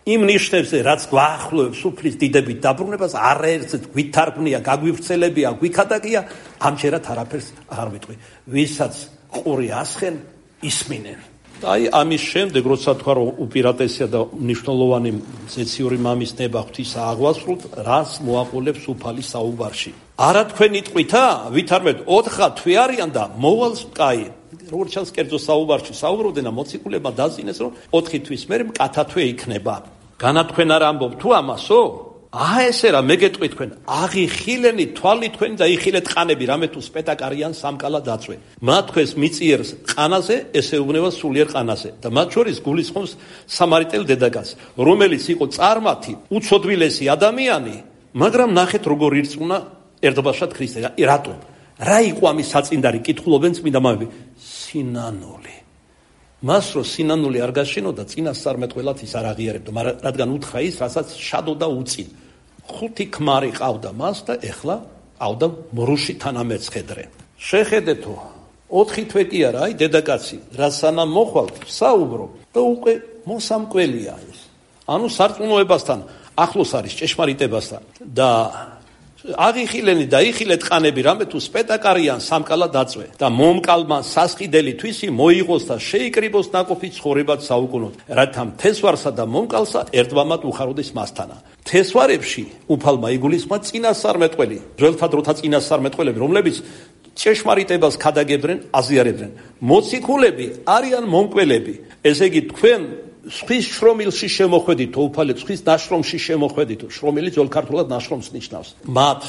იმ ნიშნებზე, რაც გვაახლოვებს უფლის დიდებით დაბრუნებას, არაერთს გვითარგმნია, გაგვივრცელებია, გვიქადაგია, ამჯერად არაფერს აღარ ვიტყვი. ვისაც ყური ასხენ, ისმინენ. აი ამის შემდეგ, როცა თქვა, რომ უპირატესია და მნიშვნელოვანი ზეციური მამის ნება ღვთისა აღვასრულთ, რას მოაყოლებს უფალი საუბარში. არა თქვენ იტყვითა, ვითარმეთ ოთხა თვე არიან და მოვალს კაი. როგორც ჩანს კერძო საუბარში საუბრობდნენ და მოციქულებმა დაზიანეს, რომ ოთხი თვის მერე მკათათვე იქნება. განათქვენ არ ამბობ თუ ამასო? აა ესე რა, მე გეტყვი თქვენ, აღიხილენი თვალი თქვენი და იხილეთ ყანები, რამე თუ სპეტაკ არიან სამკალა დაწვე. მათ თქვენს მიწიერს ყანაზე, ესეუბნება სულიერ ყანაზე. და მათ შორის გულისხმობს სამარიტელ დედაკაცს, რომელიც იყო წარმართი, უცოდვილესი ადამიანი, მაგრამ ნახეთ როგორ ირწმუნა ერთობაშად ქრისტე. რატომ? რა იყო ამის საწინდარი? კითხულობენ წმინდა მამები. სინანული. მას რო სინანული არ გაშინოდა, წინასწარმეტყველად ის არ აღიარებდა, მაგრამ რადგან უთხრა ის, რასაც შადოდა უწინ. ხუთი ქმარი ყავდა მას და ეხლა ყავდა მრუში თანამეცხედრე. შეხედეთო, ოთხი თვე კი არა, აი დედაკაცი, რა სანამ მოხვალ, საუბრო და უკვე მოსამკველია ის. ანუ სარწმუნოებასთან ახლოს არის ჭეშმარიტებასთან და აღიხილენი და იხილეთ ყანები, რამე თუ სპეტაკარიან სამკალა დაწვე და მომკალმა სასყიდელი თვისი მოიღოს და შეიკრიბოს ნაკოფი ცხოვრებად საუკუნოდ, რათა მთესვარსა და მომკალსა ერთმამად უხაროდეს მასთანა. მთესვარებში უფალმა იგულისხმა წინასწარმეტყველი, ძველთა დროთა წინასწარმეტყველები, რომლებიც ჭეშმარიტებას ქადაგებდნენ, აზიარებდნენ. მოციქულები არიან მომკველები. ესე იგი თქვენ სხვის შრომილში შემოხვედითო, უფალე სხვის ნაშრომში შემოხვედითო, შრომილი ძველ ქართულად ნაშრომს ნიშნავს. მათ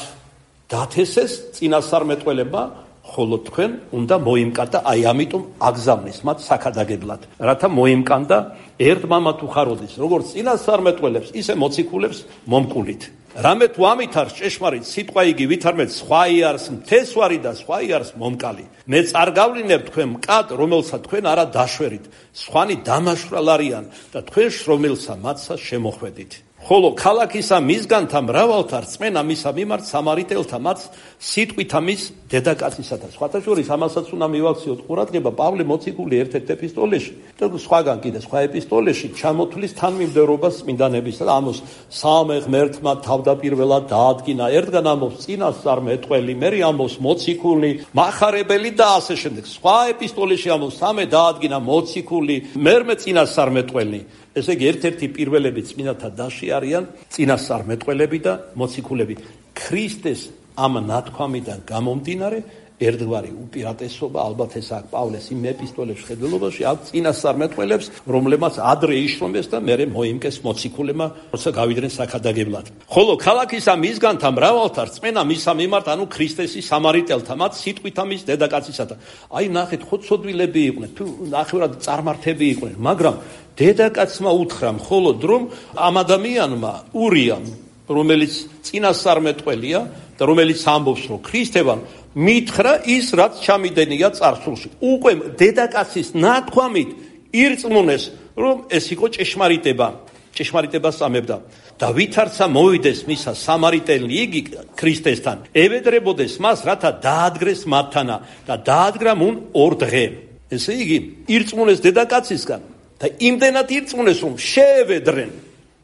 დათესეს წინასწარმეტყველება, ხოლო თქვენ უნდა მოიმკანდა, აი ამიტომ აგზავნის მათ საქადაგებლად, რათა მოიმკანდა ერთმამად უხაროდეს, როგორც წინასწარმეტყველებს, ისე მოციქულებს მომკულით. რამე თუ ამით არის ჭეშმარიტ სიტყვა იგი ვითარმეთ სხვა იარს მთესვარი და სხვა იარს მომკალი. მე წარგავლინებ თქვენ მკად, რომელსაც თქვენ არა დაშვერით. სხვანი დამაშვრალ არიან და თქვენ შრომილსა მათსა შემოხვედით. ხოლო ქალაქისა მისგანთა მრავალთა რწმენა მისა მიმართ სამარიტელთა მათ სიტყვითა მის დედაკაცისათა. სხვათა შორის ამასაც უნდა მივაქციოთ ყურადღება პავლე მოციქული ერთ-ერთ ეპისტოლეში და სხვაგან კიდე სხვა ეპისტოლეში ჩამოთვლის თანმიმდევრობას წმინდანებისა და ამოს სამე ღმერთმა თავდაპირველად დაადგინა. ერთგან ამოს წინასწარმეტყველი, მერე ამოს მოციქული, მახარებელი და ასე შემდეგ. სხვა ეპისტოლეში ამოს სამე დაადგინა მოციქული, მერმე წინასწარმეტყველი. ესე იგი ერთ-ერთი პირველები წმინდათა დასში არიან წინასწარმეტყველები და მოციქულები. ქრისტეს ამ ნათქვამიდან გამომდინარე ერთგვარი უპირატესობა, ალბათ ეს აქ პავლეს იმ ეპისტოლების ხედველობაში აქ წინასწარმეტყველებს, რომლებმაც ადრე იშრომეს და მერე მოიმკეს მოციქულებმა, როცა გავიდნენ საქადაგებლად. ხოლო ქალაქისა მისგანთა მრავალთა რწმენა მისა მიმართ, ანუ ქრისტესი სამარიტელთა მათ სიტყვითა მის დედაკაცისათა. აი ნახეთ, ხოცოდვილები იყვნენ, თუ ნახევრად წარმართები იყვნენ, მაგრამ დედაკაცმა უთხრა მხოლოდ რომ ამ ადამიანმა ურიამ, რომელიც წინასწარმეტყველია და რომელიც ამბობს რომ ქრისტევან მითხრა ის რაც ჩამიდენია წარსულში. უკვე დედაკაცის ნათქვამით ირწმუნეს რომ ეს იყო ჭეშმარიტება, ჭეშმარიტებას ამებდა და ვითარცა მოვიდეს მისა სამარიტელი იგი ქრისტესთან, ევედრებოდეს მას რათა დაადგრეს მათთანა და დაადგრა მუნ ორ დღე. ესე იგი ირწმუნეს დედაკაცისგან და იმდენად ირწმუნეს რომ შეევედრენ.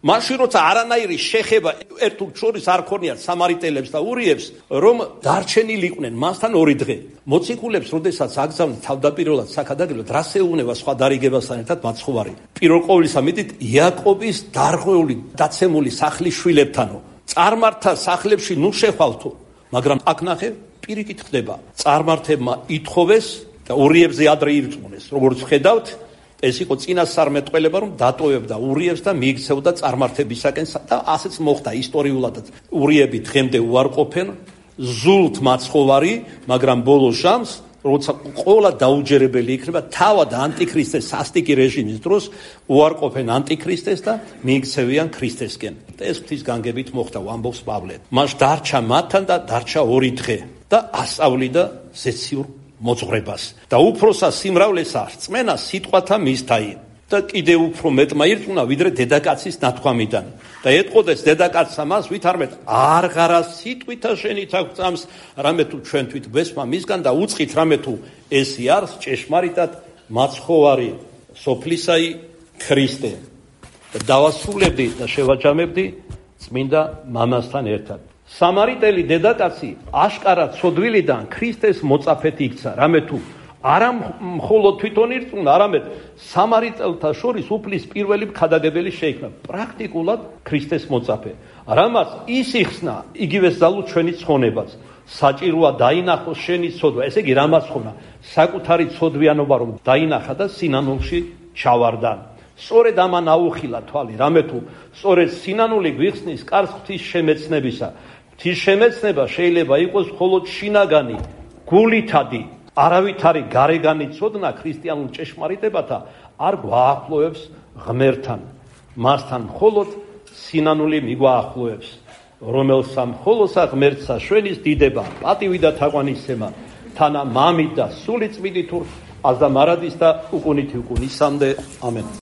მაშინ როცა არანაირი შეხება ერთ თუ შორის არ ქონიათ სამარიტელებს და ურიებს, რომ დარჩენილი იყვნენ მასთან ორი დღე. მოციქულებს როდესაც აგზავნით თავდაპირველად საქადაგებლად, რას ეუბნება სხვა დარიგებასთან ერთად მაცხოვარი. პირველ ყოვლისა მიდით იაკობის დარღვეული დაცემული სახლის შვილებთანო. წარმართა სახლებში ნუ შეხვალთო, მაგრამ აქ ნახე პირიქით ხდება. წარმართებმა ითხოვეს და ურიებზე ადრე ირწმუნეს. როგორც ხედავთ, ეს იყო წინასწარმეტყველება, რომ დატოვებდა ურიებს და მიიქცეოდა წარმართებისაკენ და ასეც მოხდა ისტორიულადაც. ურიები დღემდე უარყოფენ, ზულთ მაცხოვარი, მაგრამ ბოლო ჟამს, როცა ყველა დაუჯერებელი იქნება, თავად ანტიქრისტეს სასტიკი რეჟიმის დროს უარყოფენ ანტიქრისტეს და მიიქცევიან ქრისტესკენ. და ეს ღვთის განგებით მოხდა, ამბობს პავლე. მას დარჩა მათთან და დარჩა ორი დღე და ასწავლიდა ზეციურ მოძღვრებას და უფროსა სიმრავლესა რწმენა სიტყვათა მისთაი და კიდევ უფრო მეტმა ირწმუნა ვიდრე დედაკაცის ნათქვამიდან და ეტყოდეს დედაკაცსა მას ვითარმეთ არღარა სიტყვითა შენით აღწამს რამე თუ ჩვენთვით გვესმა მისგან და უწყით რამე თუ ესი არის ჭეშმარიტად მაცხოვარი სოფლისაი ქრისტე და დავასრულებდი და შევაჯამებდი წმინდა მამასთან ერთად. სამარიტელი დედაკაცი აშკარად ცოდვილიდან ქრისტეს მოწაფეთ იქცა, რამე თუ არა მხოლოდ თვითონ ირწმუნა, არამედ სამარიტელთა შორის უფლის პირველი ქადაგებელი შეიქმნა, პრაქტიკულად ქრისტეს მოწაფე. რამაც ის იხსნა, იგივე ზალო ჩვენი ცხონებაც. საჭიროა დაინახოს შენი ცოდვა, ესე იგი რამაც ხონა, საკუთარი ცოდვიანობა რომ დაინახა და სინანულში ჩავარდა. სწორედ ამან აუხილა თვალი, რამე თუ სწორედ სინანული გვიხსნის კარს ღვთის შემეცნებისა. ღვთის შემეცნება შეიძლება იყოს მხოლოდ შინაგანი, გულითადი, არავითარი გარეგანი ცოდნა ქრისტიანულ ჭეშმარიტებათა არ გვაახლოვებს ღმერთთან. მასთან მხოლოდ სინანული მიგვაახლოვებს. რომელსა მხოლოსა ღმერთსა შვენის დიდება, პატივი და თაყვანისცემა, თანა მამით და სული წმინდით აზდა მარადის და უკუნითი უკუნისამდე. ამენ.